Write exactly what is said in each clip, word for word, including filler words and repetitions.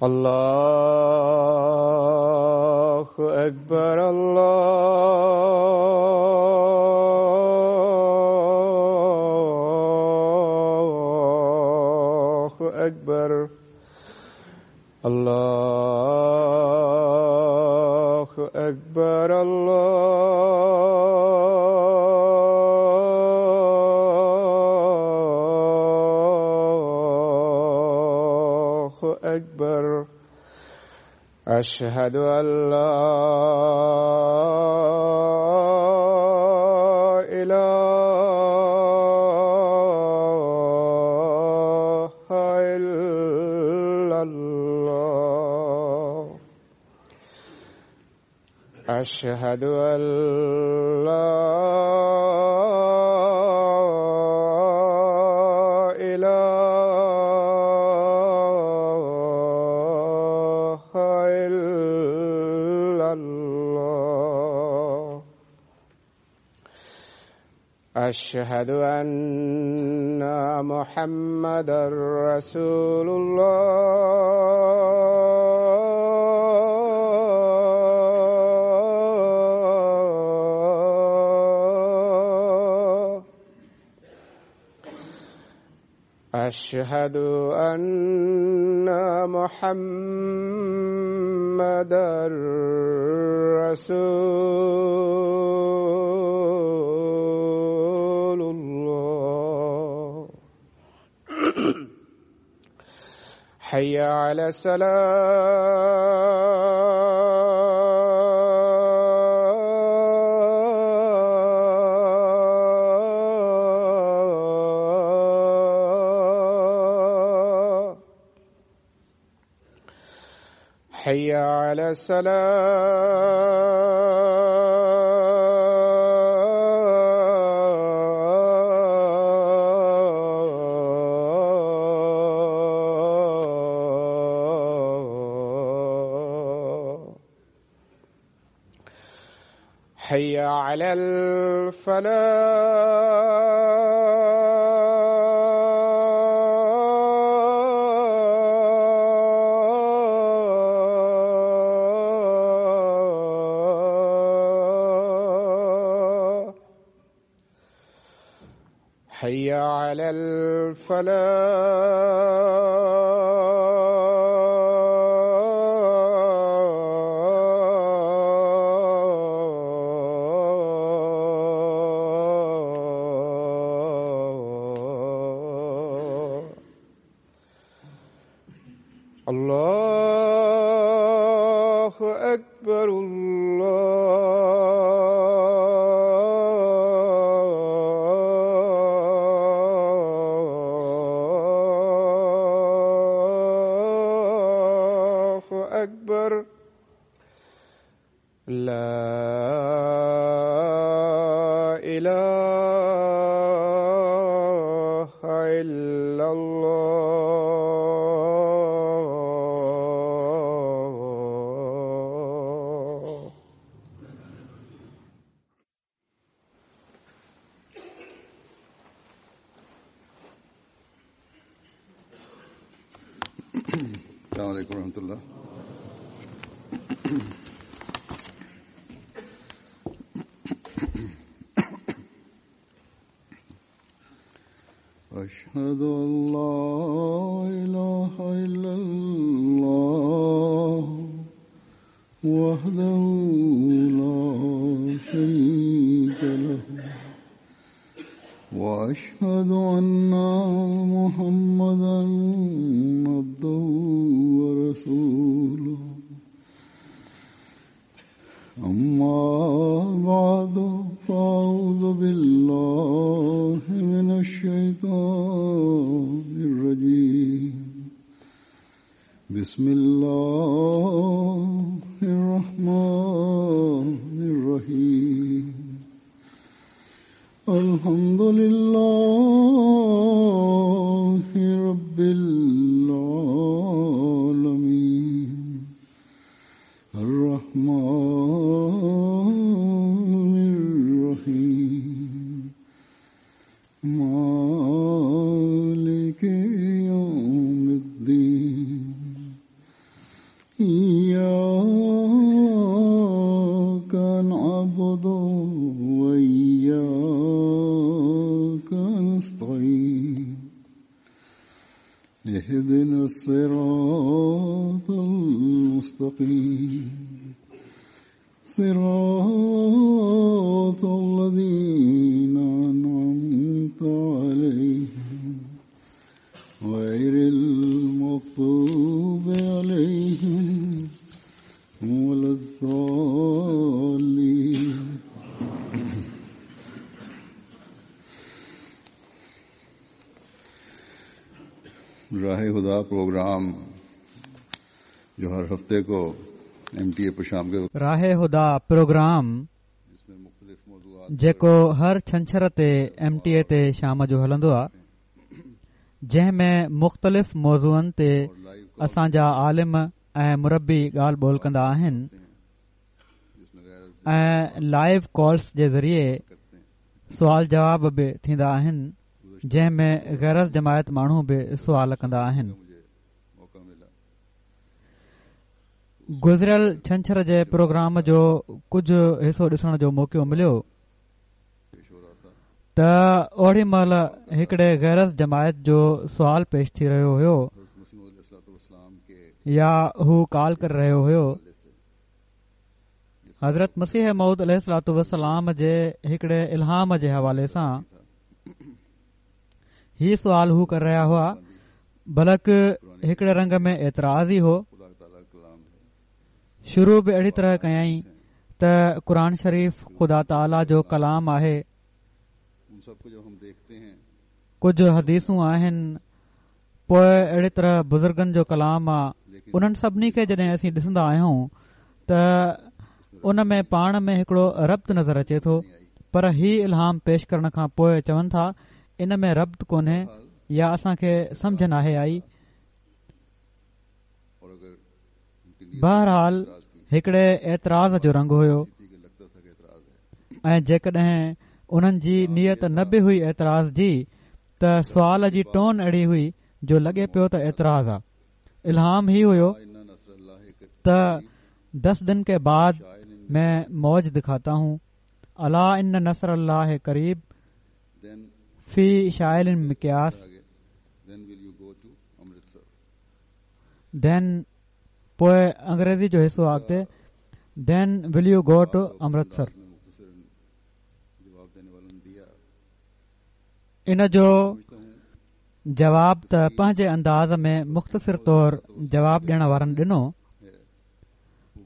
الله أكبر الله أكبر الله أكبر الله أكبر أشهد أن لا إله إلا الله أشهد أن لا إله إلا الله أشهد أن محمدا رسول الله أشهد أن محمدا رسول الله حي على السلام حي على السلام حي على الفلاح حي على الفلاح الله أكبر الله أكبر لا إله إلا الله السلام عليكم ورحمة الله. أشهد أن لا إله إلا الله وحده لا شريك له وأشهد أن محمدا عبده ورسوله. أما بعد فأعوذ بالله من الشيطان الرجيم. بسم الله الرحمن الرحيم. الحمد لله رب العالمين الرحمن اهدنا الصراط المستقيم صراط الذين أنعمت عليهم غير المغضوب عليهم ولا الضالين. राह हुदा प्रोग्राम जो हर हफ्ते को एम टी ए पर शाम के राह हुदा प्रोग्राम जिसमें मुख्तलिफ मौज़ूआत जेको हर छंछर ते एम टी ए ते शाम जो हलंदो आहे, जंहिं में मुख़्तलिफ़ मौज़ूअनि ते असांजा आलिम ऐं मुरब्बी ॻाल्हि ॿोल कंदा आहिनि ऐं लाइव कॉल्स जे ज़रिए सवाल जवाब बि थींदा आहिनि, जंहिं में गैर जमायत माण्हू बि सवाल कंदा आहिनि। गुज़िरियल छंछर जे प्रोग्राम जो कुझु हिसो ॾिसण जो मौक़ो मिलियो त ओॾी महिल हिकिड़े गैर जमायत जो सवाल पेश थी रहियो हुयो या हू कॉल करे रहियो हुयो। हज़रत मसीह मौऊद अलैहिस्सलातु वस्सलाम जे हिकिड़े इल्हाम जे हवाले सां ही सवाल हू करे रहिया हुआ, बल्कि हिकिड़े रंग में एतिराज़ ई हो। शुरू बि अहिड़ी तरह कयाई त क़ुरान शरीफ़ ख़ुदा ताला जो कलाम आहे, कुझु हदीसूं आहिनि, पोइ अहिड़ी तरह बुज़ुर्गनि जो कलाम आहे। उन्हनि सभिनी खे जॾहिं असीं ॾिसंदा आहियूं त उन में पाण में हिकिड़ो रब्त नज़र अचे थो, पर ही इल्हाम पेश करण खां पोइ चवनि था इन में रब्त कोन्हे या असांखे सम्झ नाहे आई। बहरहाल हिकिड़े एतिराज़ जो रंग हुयो ऐं जेकॾहिं उन्हनि जी नीयत न बि हुई एतिराज़ जी त सवाल जी टोन अहिड़ी हुई जो लॻे पियो त एतिराज़ आहे। इल्हाम ही हुयो त दस दिन के बाद मैं मौज दिखाता हूँ, अला इन नसर अल्लाह करीब फी शाइल मिक्यास। Then पोइ अंग्रेज़ी जो हिसो अॻिते then will you go to Amritsar. इन जो जवाब त पंहिंजे अंदाज़ में मुख़्तसिर तौर जवाब ॾियण वारनि ॾिनो,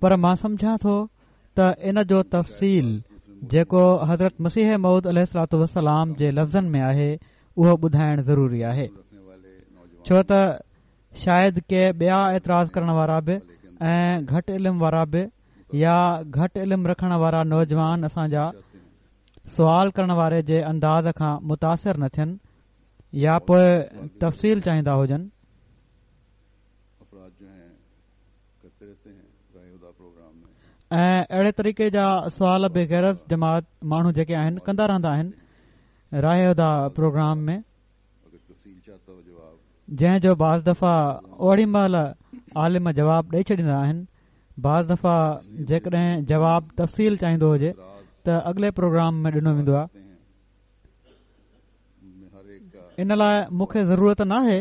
पर मां सम्झां थो त इन जो तफ़सील जेको हज़रत मसीह मौऊद अलैहिस्सलातु वस्सलाम जे लफ़्ज़नि में आहे उहो ॿुधाइण ज़रूरी आहे, छो त शायदि के ॿिया एतिराज़ करण वारा बि ऐं घटि इल्म वारा बि या घटि इल्म रखण वारा नौजवान असांजा सवाल करण वारे जे अंदाज़ खां मुतासिर न थियनि या पोइ तफ़सील चाहींदा हुजनि। ऐं अहिड़े तरीक़े जा सवाल बि गैर जमात माण्हू जेके आहिनि कंदा रहंदा आहिनि राह हुदा प्रोग्राम में, जंहिं जो बाज़ दफ़ा ओॾी महिल आलिम जवाब ॾेई छॾींदा आहिनि। बाज़ दफ़ा जेकॾहिं जवाब तफ़सील चाहींदो हुजे त अॻिले प्रोग्राम में ॾिनो वेंदो आहे। इन लाइ मूंखे ज़रूरत न आहे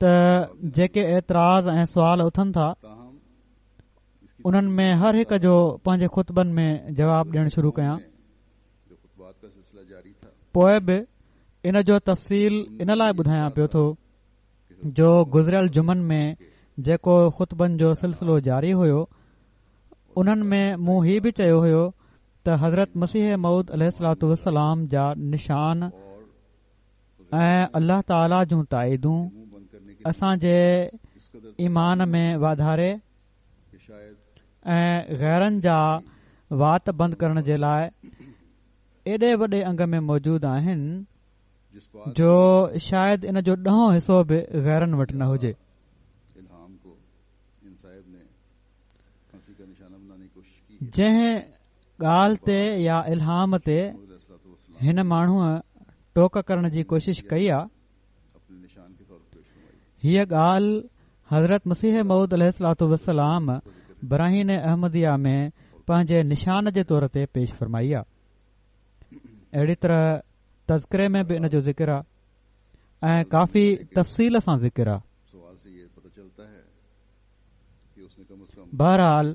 त जेके एतिराज़ ऐं सवाल उथनि था उन्हनि में हर हिक जो पंहिंजे ख़ुतबनि में जवाब ॾियणु शुरू कयां। पोइ बि इन जो तफ़सील इन लाइ ॿुधायां पियो थो जो गुज़िरियल जुमनि में जेको ख़ुतबनि जो सिलसिलो जारी हुयो उन्हनि में मूं ही बि चयो हुयो त हज़रत मसीह मौऊद अलैहिस्सलातु वस्सलाम जा निशान ऐं अल्लाह ताला जूं ताईदूं असांजे ईमान में वाधारे ऐं ग़ैरनि जा वात बंदि करण जे लाइ एॾे वॾे अंग में मौजूदु आहिनि जो शायदि इन जो ॾहों हिसो बि ग़ैरनि वटि न हुजे। जंहिं ॻाल्हि ते या इल्हाम ते हिन माण्हूअ टोक करण जी कोशिश कई आहे, हीअ ॻाल्हि हज़रत मसीह मौऊद अलैहिस्सलातु वस्सलाम बराहीन अहमदिया में पंहिंजे निशान जे तौर ते पेश फरमाई आहे। अहिड़ी तरह तज़किरे में बि इन जो ज़िक्र आहे ऐं काफ़ी तफ़सील सां ज़िक्र आहे। بهرحال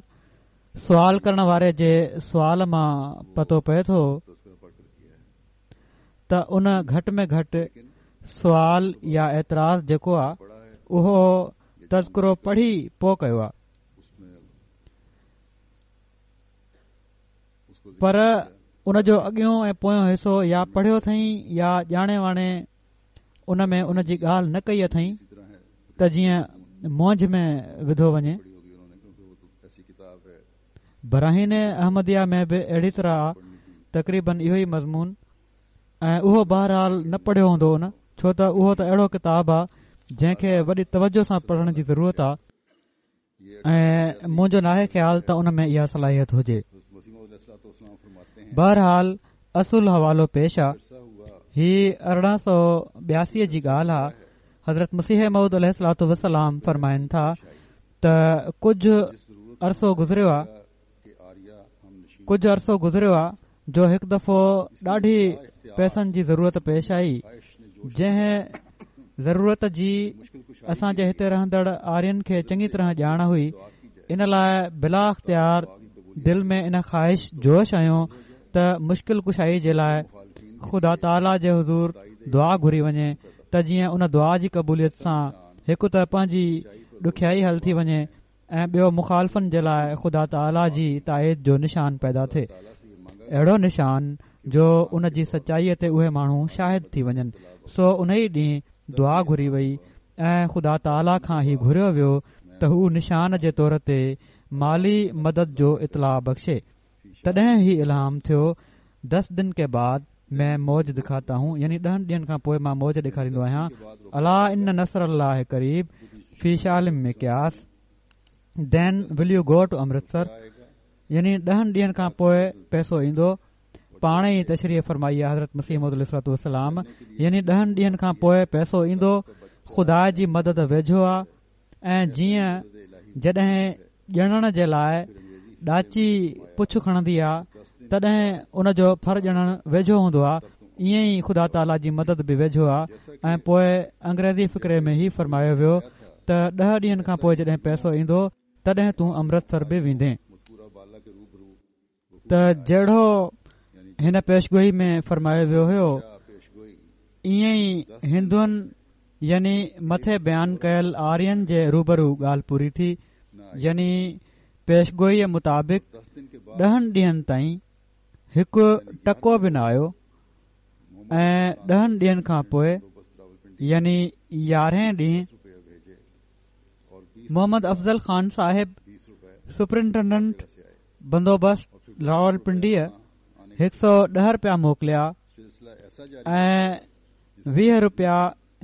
سوال ڪرڻ واري جي سوال مان پتو پئي ٿو ته ان گهٽ ۾ گهٽ سوال يا اعتراض جيڪو آهي اهو تذڪرو پڙهي پوءِ ڪيو آهي، پر ان جو اڳيون ۽ پويون حصو يا پڙهيو اٿئي يا ڄاڻي واڻي ان ۾ ان جي ڳالهه نه ڪئي اٿئي ته جيئن مونجهه ۾ وڌو وڃي. براهين احمديه ۾ به اهڙي طرح تقريبن اهو ئي مضمون، ۽ اهو بهرحال نه پڙهيو هوندو ان، ڇو ته اهو ته اهڙو ڪتاب آهي جنهن کي وڏي توجه سان پڙهڻ جي ضرورت آهي، ۽ منهنجو ناهي خيال ته ان ۾ اها صلاحيت هجي. بهرحال اصل حوالو پيش آهي. هي ارڙهن سؤ ٻياسي جي ڳالهه آهي. حضرت مسيح موعود عليه الصلوة والسلام فرمائن ٿا ته ڪجهه عرصو گذريو آهي ڪجهه عرصو گذريو آهي جو هڪ دفعو ڏاڍي پئسن جي ضرورت پيش آئي، جنهن ضرورت جي اسان جي هتي رهندڙ آرين کي چڱي طرح ڄاڻ هئي. ان لاءِ بلا اختيار دل ۾ ان خواهش جوش آيو ته مشڪل ڪشائي جي لاءِ خدا تعاليٰ جي حضور دعا گهري وڃي ته جيئن ان دعا جي قبوليت سان هڪ ته پنهنجي ڏکيائي حل ٿي وڃي ۽ ٻيو مخالفن جي لاءِ خدا تعاليٰ جي تائيد جو نشان پيدا ٿئي، اهڙو نشان جو ان جي سچائيءَ تي اهي ماڻهو شاهد ٿي وڃن. سو ان ئي ڏينهن دعا گهري وئي ۽ خدا تعاليٰ کان هي گهريو ويو ته هو نشان جي طور تي مالي مدد جو اطلاع بخشي. تڏهن هي الهام ٿيو، دس دن ڪي بعد مين موج دکاتا هون، يعني ڏهن ڏينهن کان پوءِ مان موج ڏيکاريندو آهيان. الا ان نصر الله قريب في شال مقياس، then will you go to Amritsar, يعني ڏهن ڏينهن کان پوءِ پئسو ايندو. پاڻ ئي تشريح فرمائي آهي حضرت مسيح موعود عليه الصلوة والسلام، يعني ڏهن ڏينهن کان پوءِ پئسو ايندو، خدا جي مدد ويجهو آهي. ۽ جيئن جڏهن ڄڻڻ جي لاءِ ڏاچي پڇ کڻندي آهي تڏهن ان جو ڦر ڄڻڻ ويجهو هوندو آهي، ائين ئي خدا تعاليٰ جي مدد به ويجهو آهي. ۽ پوءِ انگريزي فقري ۾ هي فرمايو ويو ته ڏهه ڏينهن کان پوءِ جڏهن پئسو ايندو تڏهن تون امرتسر به ويندين. ته جهڙو هن پيشگوئي ۾ فرمايو ويو هيو ائين ئي هندن يعني مٿي بيان ڪيل آرين جي روبرو ڳالهه پوري ٿي، يعني پيشگوئيءَ مطابق ڏهن ڏينهن تائين هڪ ٽڪو به نه آيو. ۽ ڏهن ڏينهن کان پوءِ يعني يارهين ڏينهن محمد افضل خان صاحب سپرنٽينڊنٽ بندوبست راولپنڊيءَ هڪ سؤ ڏهه رپيا موڪليا ۽ ويهه رپيا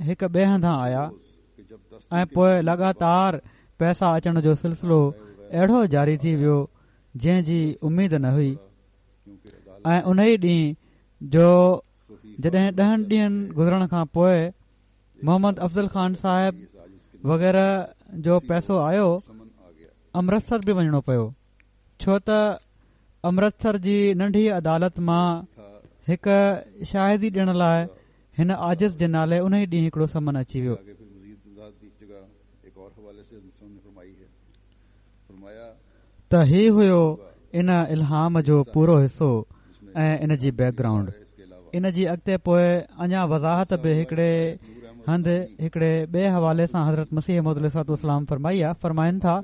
هڪ ٻئي هنڌان آيا. ۽ پوءِ لڳاتار پئسا اچڻ جو سلسلو اهڙو جاري ٿي ويو جنهن جي اميد نه هئي. ۽ ان ئي ڏينهن جو جڏهن ڏهن ڏينهن گذرڻ کان پوءِ محمد افضل خان صاحب وغيره جو پئسو آيو، امرتسر به وڃڻو پيو، ڇو ته امرتسر جي ننڍي عدالت مان هڪ شاهدي ڏيڻ لاءِ هن عاجز جي نالي ان ئي ڏينهن هڪڙو سمن اچي ويو. ته هي هيو ان الهام جو پورو حصو ۽ ان جي بيڪ گرائونڊ. ان جي اڳتي پوءِ اڃا وضاحت به هڪڙي هنڌ هڪڙي ٻئي حوالي سان حضرت مسيح موعود عليه الصلوة والسلام فرمائي آهي. فرمائن ٿا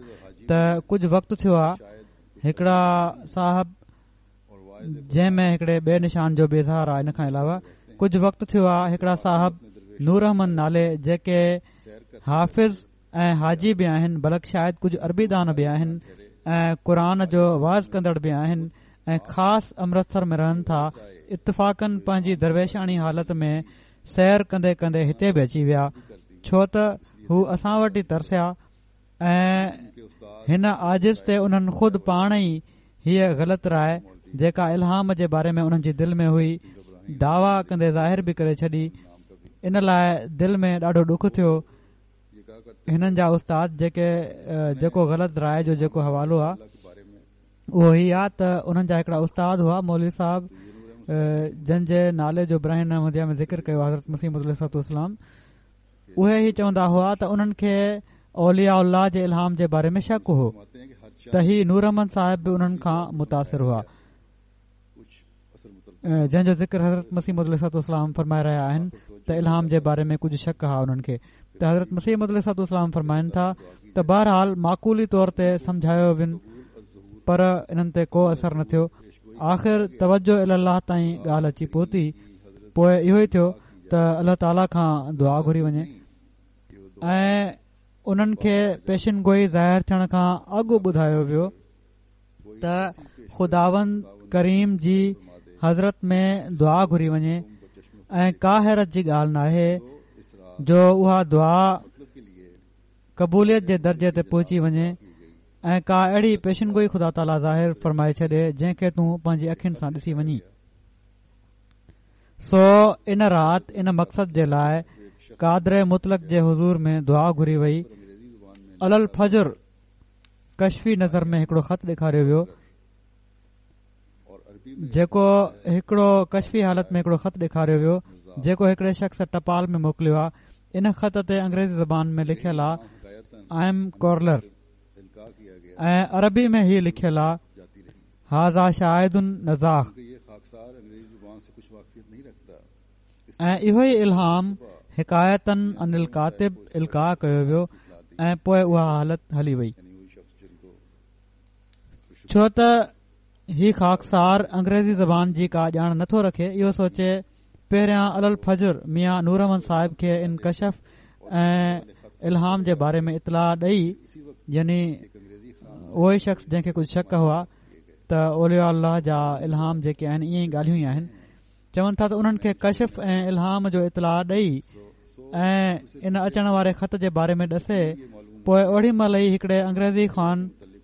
ته ڪجهه وقت ٿيو آهي هڪڙا صاحب، جنهن ۾ هڪڙي ٻئي نشان جو به اظهار آهي. ان کان علاوه ڪجهه وقت ٿيو آهي هڪڙا صاحب نور احمد نالي، جيڪي حافظ ۽ حاجي به آهن، بلڪ شايد ڪجهه عربي دان به آهن ۽ قرآن جو واعظ ڪندڙ به آهن ۽ خاص امرتسر ۾ رهن ٿا، اتفاقن پنهنجي درويشاڻي حالت ۾ سير ڪندي ڪندي هتي به اچي ويا، ڇو ته هو اسان وٽ ئي ترسيا ۽ هن عاجز تي انهن خود پاڻ ئي هيءَ غلط راءِ جيڪا الهام جي باري ۾ انهن جي دل ۾ هئي دعويٰ ڪندي ظاهر به ڪري ڇڏي. ان لاءِ دل ۾ ڏاڍو ڏک ٿيو. هنن جا استاد جيڪي جيڪو غلط راءِ جو جيڪو حوالو آهي اهو هي آهي ته انهن جا هڪڙا استاد هئا مولوي صاحب، جن جي نالي جو براهين احمديه ۾ ذڪر ڪيو حضرت مسيح موعود عليه الصلوة والسلام، اهي ئي چوندا هئا ته انهن کي اولياء الله جي الهام جي باري ۾ شڪ هو ته هي نور احمد صاحب به انهن کان متاثر هئا، جنهن جو ذڪر حضرت مسيح موعود عليه الصلوة والسلام فرمائي رهيا آهن ته الهام جي باري ۾ ڪجهه شڪ هئا انهن کي. ته حضرت مسيح موعود عليه الصلوة والسلام فرمائن ٿا ته بهرحال معقولي طور تي سمجهايو وين پر انهن تي ڪو اثر نه ٿيو. آخر توجه الي الله تائين ڳالهه اچي پهتي. پوءِ اهو ئي ٿيو ته الله تعاليٰ کان دعا گهري وڃي ۽ انهن کي پيشن گوئي ظاهر ٿيڻ کان اڳ ٻڌايو ويو ته خداوند ڪريم جي حضرت ۾ دعا گهري وڃي ۽ ڪا حيرت جي ڳالهه ناهي جو اها دعا قبوليت جي درجي تي پهچي وڃي ۽ ڪا اهڙي پيشن گوئي خدا تعاليٰ ظاهر فرمائي ڇڏي جنهن کي تون پنهنجي اکين سان ڏسي وڃي. سو ان رات ان مقصد جي لاءِ قادر مطلق جي حضور ۾ دعا گهري وئي. علي الفجر ڪشفي نظر ۾ هڪڙو خط ڏيکاريو ويو، جيڪو هڪڙو ڪشفي حالت ۾ هڪڙو خط ڏيکاريو ويو جيڪو هڪڙي شخص ٽپال ۾ موڪليو آهي. ان خط تي انگريزي زبان ۾ لکيل آهي I am ڪورلر ۽ عربي ۾ هي لکيل آهي هذا شاهد نزاخ. ۽ اهو ئي الهام حڪايتاً عن الڪاتب القاء ڪيو ويو ۽ پوءِ اها حالت هلي وئي. ڇو ته هي خاڪسار انگريزي زبان جي ڪا ڄاڻ نٿو رکي، اهو سوچي پهريان علي الفجر ميان نور احمد صاحب کي ان ڪشف ۽ الهام جي باري ۾ اطلاع ڏئي، يعني اهو ئي شخص جنهن کي ڪجهه شڪ هئا ته اولياء الله جا الهام جيڪي آهن ائين ئي ڳالهيون ئي آهن، چون ٿا ته انهن کي ڪشف ۽ الهام جو اطلاع ڏئي ۽ ان اچڻ واري خط جي باري ۾ ڏسي. پوءِ اوڙي مهل ئي هڪڙي انگريزي خوان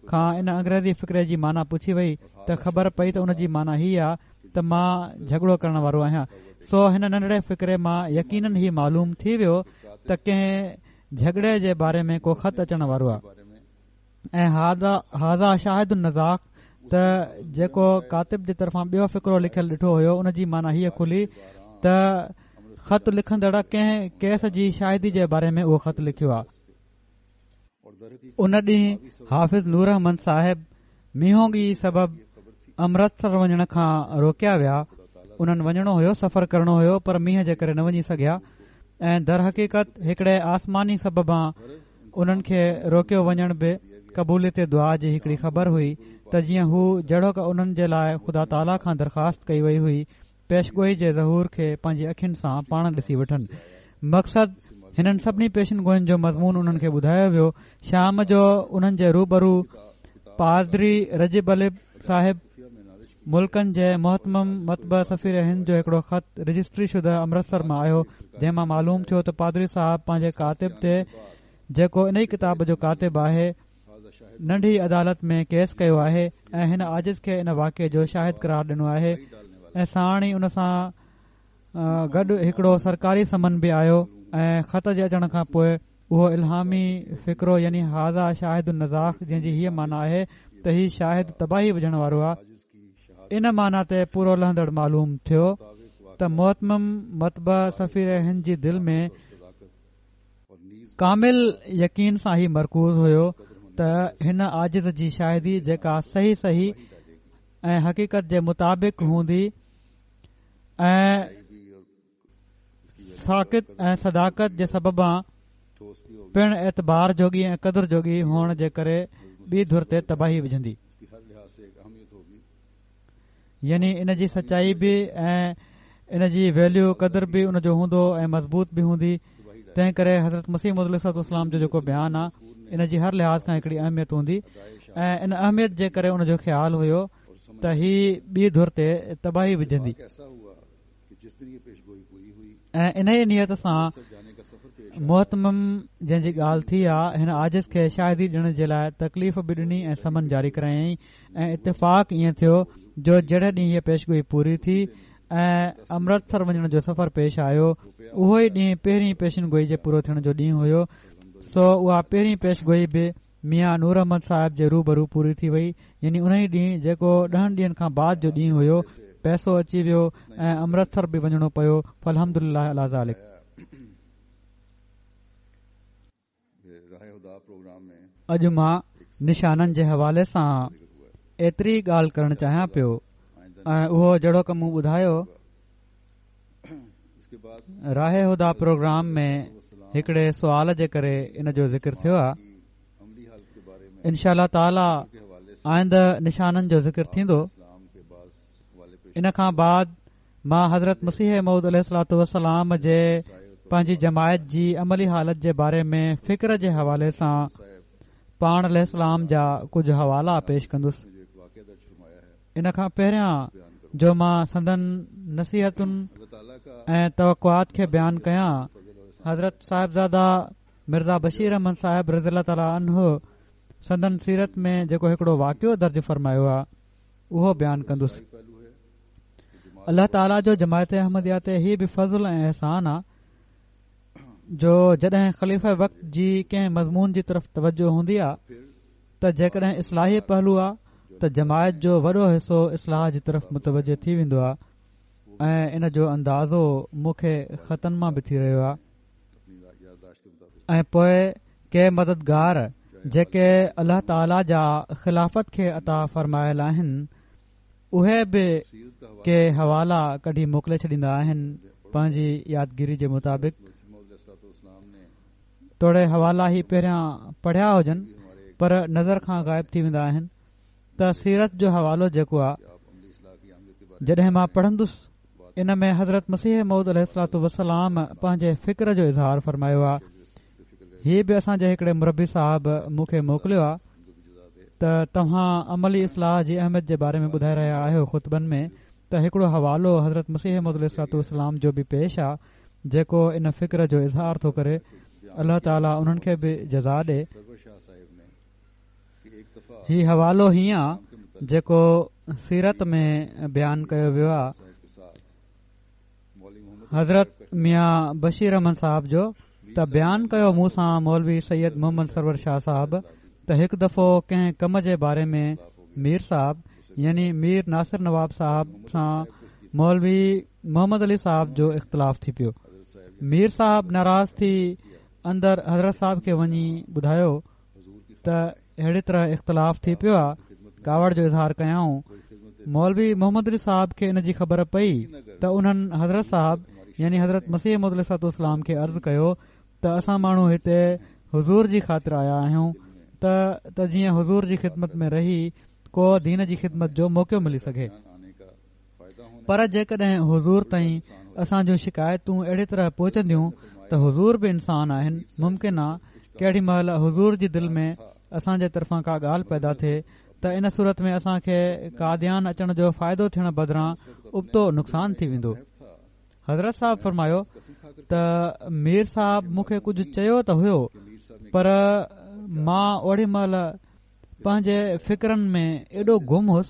کان ان انگريزي فقري جي معنيٰ پڇي وئي ته خبر پئي ته ان جي معنيٰ هي آ ته مان جهڳڙو ڪرڻ وارو آهيان. سو هن ننڍڙي فقري مان يقينن هي معلوم ٿي ويو ته ڪنهن جهڳڙي جي باري ۾ ڪو خط اچڻ وارو آ. ۽ هذا شاهد النزاخ ته جيڪو ڪاتب جي طرفان ٻيو فقرو لکيل ڏٺو هيو ان جي معنيٰ هيءَ کلي ته خط لکندڙ ڪنهن ڪيس جي شاهدي جي باري ۾ اهو خط لکيو آ. ان ڏينهن حافظ نور احمد صاحب مينهوڳي سبب امرتسر وڃڻ کان روڪيا ويا. انهن وڃڻو هيو، سفر ڪرڻو هيو، پر مينهن جي ڪري نه وڃي سگهيا ۽ درحقيقت هڪڙي آسماني سببان انهن کي روڪيو وڃڻ به قبوليت دعا جي هڪڙي خبر هئي ته جيئن هو جهڙوڪ انهن جي لاءِ خدا تعاليٰ کان درخواست ڪئي وئي هئي پيشگوئي جي ظهور کي پنهنجي اکين سان پاڻ ڏسي وٺن. مقصد هنن سڀني پيشن گوئين جو مضمون انهن کي ٻڌايو ويو. شام جو انهن جي روبرو پادري رجب علي صاحب ملڪن جي مهتمم مطبع سفير هند جو هڪڙو خط رجسٽري شده امرتسر مان آيو، جنهن مان معلوم ٿيو ته پادري صاحب پنهنجي ڪاتب تي، جيڪو انهي ڪتاب جو ڪاتب آهي، ننڍي عدالت ۾ ڪيس ڪيو آهي ۽ هن عاجز کي ان واقعي جو شاهد قرار ڏنو آهي ۽ ساڻ ئي ان سان گڏ هڪڙو سرڪاري سمن به آيو ۽ خط جي اچڻ کان پوءِ اهو الهامي فقرو يعني هذا شاهد النزاخ، جنهن جي هيءَ معنيٰ آهي ته هي شاهد تباهي وجهڻ وارو آهي، ان معنيٰ تي پورو لهندڙ معلوم ٿيو ته مهتمم مطبع سفير هند جي دل ۾ ڪامل يقين سان هي مرڪوز هيو ته هن عاجز جي شاهدي جيڪا صحيح صحيح ۽ حقيقت جي مطابق هوندي ۽ ساقط ۽ صداقت جي سببان پڻ اعتبار جوڳي ۽ قدر جوڳي هئڻ جي ڪري ٻي ڌر تي تباهي وجهندي، يعني ان جي سچائي به ۽ ان جي ويليو قدر به ان جو هوندو ۽ مضبوط به هوندي. تنهن ڪري حضرت مسيح موعود عليه الصلوة والسلام جو جيڪو بيان آهي ان جي هر لحاظ کان هڪڙي اهميت هوندي ۽ ان اهميت جي ڪري ان جو خيال هيو ته هي ٻي ڌر تي تباهي وجهندي ۽ ان ئي نيت سان مهتمم جنهن جي ڳالهه ٿي آهي هن عاجز کي شاهدي ڏيڻ جي لاءِ تڪليف به ڏني ۽ سمن جاري ڪرايائين ۽ اتفاق ائين ٿيو جو جهڙي ڏينهن هيءَ پيشگوئي پوري ٿي ۽ امرتسر وڃڻ جو سفر پيش آيو، اهو ئي ڏينهن پهرين پيشن گوئي جي پورو ٿيڻ جو ڏينهن هيو. سو اها پهرين پيشگوئي به ميان نور احمد صاحب جي روبرو پوري ٿي وئي، يعني ان ئي ڏينهن جيڪو ڏهن ڏينهن کان بعد جو ڏينهن هيو، پئسو اچي ويو ۽ امرتسر به وڃڻو پيو. فالحمد لله علي ذلڪ. اڄ مان نشانن جي حوالي سان ايتري ڳالهه ڪرڻ چاهيان پيو ۽ اهو جهڙوڪ مون ٻڌايو راهه هديٰ پروگرام ۾ هڪڙي سوال جي ڪري ان جو ذڪر ٿيو آهي. انشاء الله تعاليٰ آئنده نشانن جو ذڪر ٿيندو. ان کان بعد مان حضرت مسيح موعود عليه الصلوة والسلام جي پنهنجي جماعت جي عملي حالت جي باري ۾ فڪر جي حوالي سان پاڻ عليه السلام جا ڪجهه حوالا پيش ڪندس. ان کان پهريان جو مان سندن نصيحتن ۽ توقعات کي بيان ڪيان، حضرت صاحبزاده مرزا بشير احمد صاحب رضي الله تعالٰي عنه سندن سيرت ۾ جيڪو هڪڙو واقعو درج فرمايو آهي اهو بيان ڪندس. الله تعاليٰ جو جماعت احمديه تي هي به فضل ۽ احسان آهي جو جڏهن خليفه وقت جي ڪنهن مضمون جي طرف توجه هوندي آهي ته جيڪڏهن اصلاحي پهلو آهي ته جماعت جو وڏو حصو اصلاح جي طرف متوجه ٿي ويندو آهي ۽ ان جو اندازو مون کي خطن مان به ٿي رهيو آهي. ۽ پوء ڪي مددگار جيڪي الله تعاليٰ جا خلافت کي عطا فرمايل آهن اهي به ڪي حوالا ڪڍي موڪلي ڇڏيندا آهن پنهنجي يادگيري جي مطابق، توڙي حوالا هي پهريان پڙهيا هجن پر نظر کان غائب ٿي ويندا آهن. ته سيرت جو حوالو جيڪو آهي جڏهن مان پڙهندس ان ۾ حضرت مسيح موعود عليه الصلوة والسلام پنهنجي فڪر جو اظهار فرمايو آهي. هي به اسان جي هڪڙي مربي صاحب مون کي موڪليو آهي ته توهان عملي اصلاح جي اهميت جي باري ۾ ٻڌائي رهيا آهيو خطبن ۾ ته هڪڙو حوالو حضرت مسيح موعود عليه الصلوة والسلام جو به پيش آهي جيڪو ان فڪر جو اظهار ٿو ڪري. الله تعاليٰ انهن کي به جزا ڏي. هي حوالو هيئن آهي جيڪو سيرت ۾ بيان ڪيو ويو آهي حضرت ميان بشير احمد صاحب جو، ته بيان ڪيو مون سان مولوي سيد محمد سرور شاهه صاحب ته هڪ دفعو ڪنهن ڪم جي باري ۾ مير صاحب يعني مير ناصر نواب صاحب سان مولوي محمد علي صاحب جو اختلاف ٿي پيو. مير صاحب ناراض ٿي اندر حضرت صاحب کي وڃي ٻڌايو ته اهڙي طرح اختلاف ٿي پيو آهي، ڪاوڙ جو اظهار ڪيائون. مولوي محمد علي صاحب کي ان جي خبر پئي ته انهن حضرت صاحب يعني حضرت مسيح موعود عليه الصلوة والسلام کي عرض ڪيو ته اسان ماڻهو هتي حضور جي خاطر آيا آهيون ته ته جيئن حضور جي خدمت ۾ رهي ڪو دين جي خدمت جو موقعو ملي سگهي، پر جيڪڏهن حضور تائين اسان جون شڪايتون اهڙي طرح پهچنديون ته حضور به انسان آهن، ممڪن آهي ڪهڙي مهل حضور جي دل ۾ اسان جي طرفان ڪا ڳالهه پيدا ٿئي ته ان صورت ۾ اسان کي قاديان اچڻ جو فائدو ٿيڻ بدران ابتو نقصان ٿي ويندو. حضرت صاحب فرمايو ته مير صاحب مون کي ڪجهه چيو ته هيو پر مان اوڙي مهل پنهنجي فڪرن ۾ ايڏو گم هوس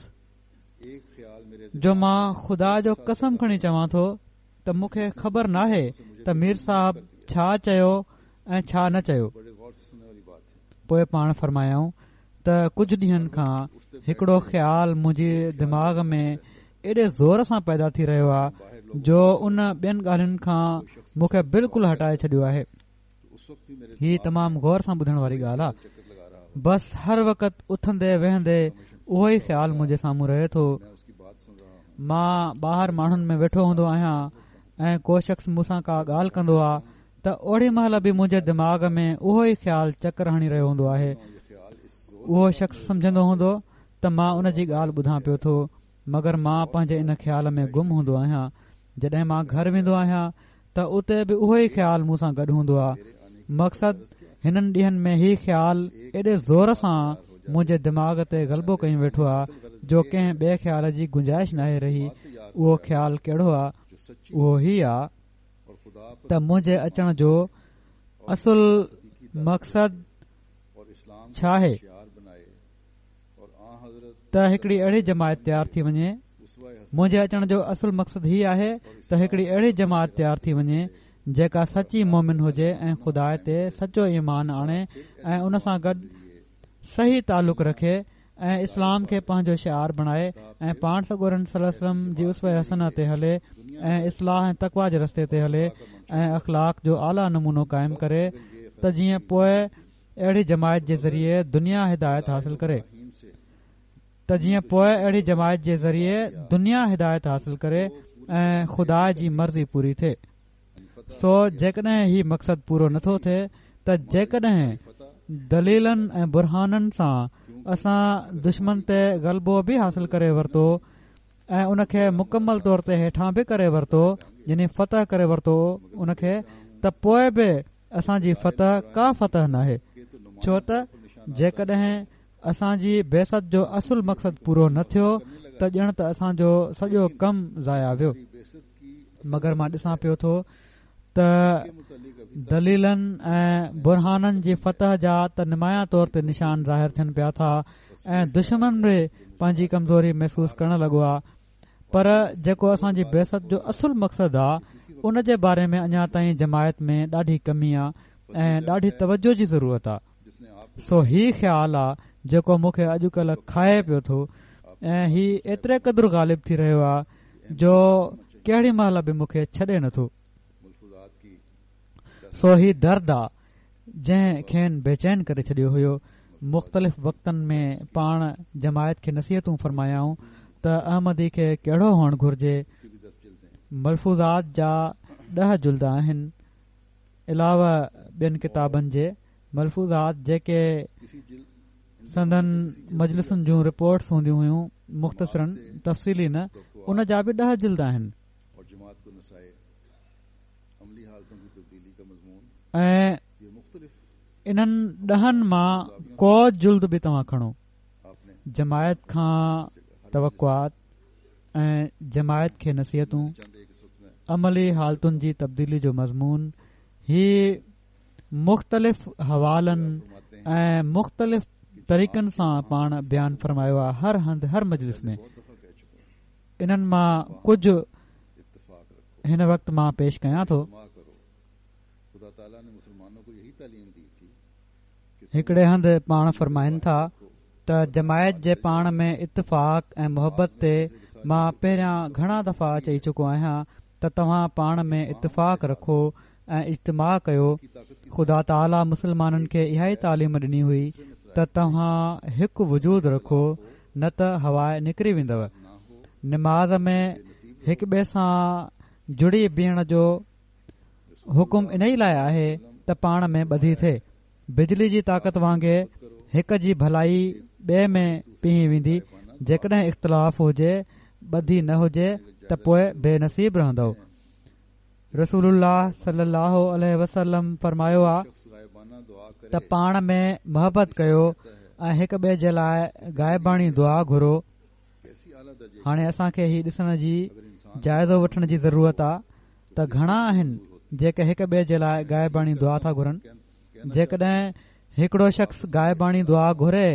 جو مان خدا جو قسم کڻي چوان ٿو ته مون کي خبر ناهي ته مير صاحب ڇا چيو ۽ ڇا نه چيو. پوءِ پاڻ فرمايائون ته ڪجهه ڏينهن کان هڪڙو خيال منهنجي دماغ ۾ ايڏي زور سان پيدا ٿي رهيو آهي جو ان ٻين ڳالهين کان مون کي بلڪل هٽائي ڇڏيو آهي. هي تمام غور سان ٻڌڻ واري ڳالهه آهي. بس هر وقت اٿندي ويهندي اهو ئي خيال منهنجي سامهون رهي ٿو. مان ٻاهر ماڻهن ۾ ويٺو هوندو آهيان ۽ ڪو شخص مون سان ڪا ڳالهه ڪندو آهي ته اوڙي مهل به منهنجي دماغ ۾ اهو ئي خيال چڪر هڻي رهيو هوندو آهي. اهو شخص سمجهندو هوندو ته مان ان جي ڳالهه ٻڌان پيو ٿو، مگر مان پنهنجي ان خيال ۾ گم هوندو آهيان. جڏهن مان گهر ويندو آهيان ته اتي به اهو ئي خيال مون سان گڏ هوندو آهي. مقصد هنن ڏينهن ۾ هي خيال ايڏي زور سان منهنجي دماغ تي غلبو ڪيون ويٺو آهي جو ڪنهن ٻئي خيال جي گنجائش ناهي رهي. اهو خيال ڪهڙو آهي؟ اهو هي آهي ته منهنجي اچڻ جو اصل مقصد ڇا آهي؟ ته هڪڙي اهڙي جماعت تيار ٿي وڃي. منهنجي اچڻ جو اصل مقصد هي آهي ته هڪڙي اهڙي جماعت تيار ٿي وڃي جيڪا سچي مومن هجي ۽ خدا تي سچو ايمان آڻي ۽ ان سان گڏ صحيح تعلق رکي ۽ اسلام کي پنهنجو شعار بڻائي ۽ پاڻ سڳورن صلي الله عليه وسلم جي اسوه حسنه تي هلي ۽ اصلاح ۽ تقويٰ جي رستي تي هلي ۽ اخلاق جو اعليٰ نمونو قائم ڪري ته جيئن پوءِ اهڙي جماعت جي ذريعي دنيا هدايت حاصل ڪري، ته جيئن پوءِ اهڙي جماعت جي ذريعي دنيا هدايت حاصل ڪري ۽ خدا جي مرضي پوري ٿئي. سو جيڪڏهن هي مقصد پورو نٿو ٿئي ته جيڪڏهن دليلن ۽ برهانن سان اسان دشمن تي غلبو به حاصل ڪري ورتو ۽ ان کي مڪمل طور تي هيٺان به ڪري ورتو، يعني فتح ڪري ورتو ان کي، ته پوءِ به اسان جي فتح ڪا فتح ناهي، ڇو ته جيڪڏهن اسان جي بعثت جو اصل مقصد پورو نه ٿيو ته ڄڻ ته اسان جو سڄو ڪم ضايع ويو. مگر مان ڏسان پيو ٿو ته دليلن ۽ برهانن جي فتح جا ته نمايان طور تي نشان ظاهر ٿين پيا ٿا ۽ دشمن به پنهنجي ڪمزوري محسوس ڪرڻ لڳو آهي، پر جيڪو اسان جي بعثت جو اصل مقصد آهي ان جي باري ۾ اڃا تائين جماعت ۾ ڏاڍي ڪمي آهي ۽ ڏاڍي توجه جي ضرورت آهي. سو هي خيال آهي جيڪو مون کي اڄڪلهه کائي پيو ٿو ۽ هي ايتري قدر غالب ٿي رهيو آهي جو ڪهڙي مهل به مون کي ڇڏي نٿو. سو هي درد آ جنهن کين بيچين ڪري ڇڏيو هيو. مختلف وقتن ۾ پاڻ جماعت کي نصيحتون فرمايائون ته احمدي کي ڪهڙو هئڻ گهرجي. ملفوظات جا ڏهه جلد آهن، علاوه ٻين ڪتابن جي. ملفوظات جيڪي سندن مجلسن جون رپورٽس هونديون هيون مختصراً، تفصيلي نه، ان جا به ڏهه جلد آهن. ۽ انهن ڏهن مان ڪو جلد به توهان کڻو. جماعت کان توقعات ۽ جماعت کي نصيحتون، عملي حالتن جي تبديلي جو مضمون، هي مختلف حوالن ۽ مختلف طريقن سان پاڻ بيان فرمايو آهي هر هنڌ هر مجلس ۾. انهن مان ڪجهه هن وقت مان پيش ڪيان ٿو. هڪڙي هنڌ پاڻ فرمائن ٿا ته جماعت جي پاڻ ۾ اتفاق ۽ محبت تي مان پهريان گهڻا دفعا چئي چڪو آهيان ته توهان پاڻ ۾ اتفاق رکو ۽ اجتماع ڪيو. خدا تعاليٰ مسلمانن کي اها ئي تعليم ڏني هئي ته توهان هڪ وجود رکو، نه ته هواءِ نڪري ويندؤ. نماز ۾ هڪ ٻئي سان جڙي بيهڻ جو حڪم انهي لاءِ آهي ته پاڻ ۾ ٻڌي ٿئي. بجلي جي طاقت وانگي هڪ جي ڀلائي ٻئي ۾ پيهي ويندي. جيڪڏهن اختلاف هجي، ٻڌي نه هجي ته پوءِ بي نصيب رهندؤ. رسول الله صلي الله عليه وسلم فرمايو آ ته پاڻ ۾ محبت ڪيو ۽ هڪ ٻئي جي لاءِ غائباڻي دعا گهرو. هاڻي اسان کي هي ڏسڻ جي، جائزو وٺڻ جي ضرورت آ ته گهڻا آهن جيڪي هڪ ٻئي جي لاءِ غائباڻي دعا ٿا گهرن. جيڪڏهن هڪڙو شخص غائباڻي دعا گهري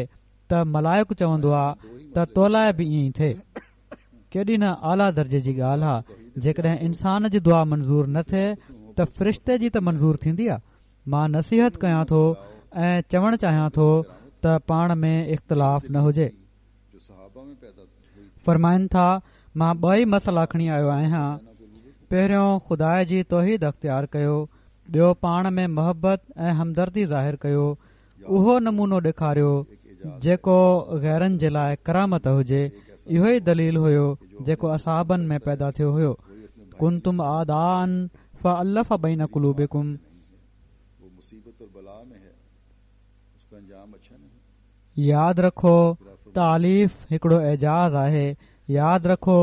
ته ملائڪ چوندو آ ته تو لاءِ به ائين ئي ٿئي. ڪيڏي نه اعليٰ درجي جي ڳالهه آ. جيڪڏهن انسان جي دعا منظور نه ٿئي ته فرشتي جي ته منظور ٿيندي آ. مان نصيحت ڪيان ٿو ۽ چوڻ چاهيان ٿو ته پاڻ ۾ اختلاف نه هجي. فرمائن ٿا مان ٻه ئي مسئلا کڻي آيو آهيان. پهريون خدا جي توحيد اختيار ڪيو، ٻيو پاڻ ۾ محبت ۽ همدردي ظاهر ڪيو. اهو نمونو ڏيکاريو جيڪو غيرن جي لاءِ ڪرامت هجي. اهو ئي دليل هيو جيڪو اصحابن ۾ پيدا ٿيو هيو. ڪنتم اعداءً فالف بين قلوبڪم. ياد رکو تاليف هڪڙو اعجاز آهي. ياد رکو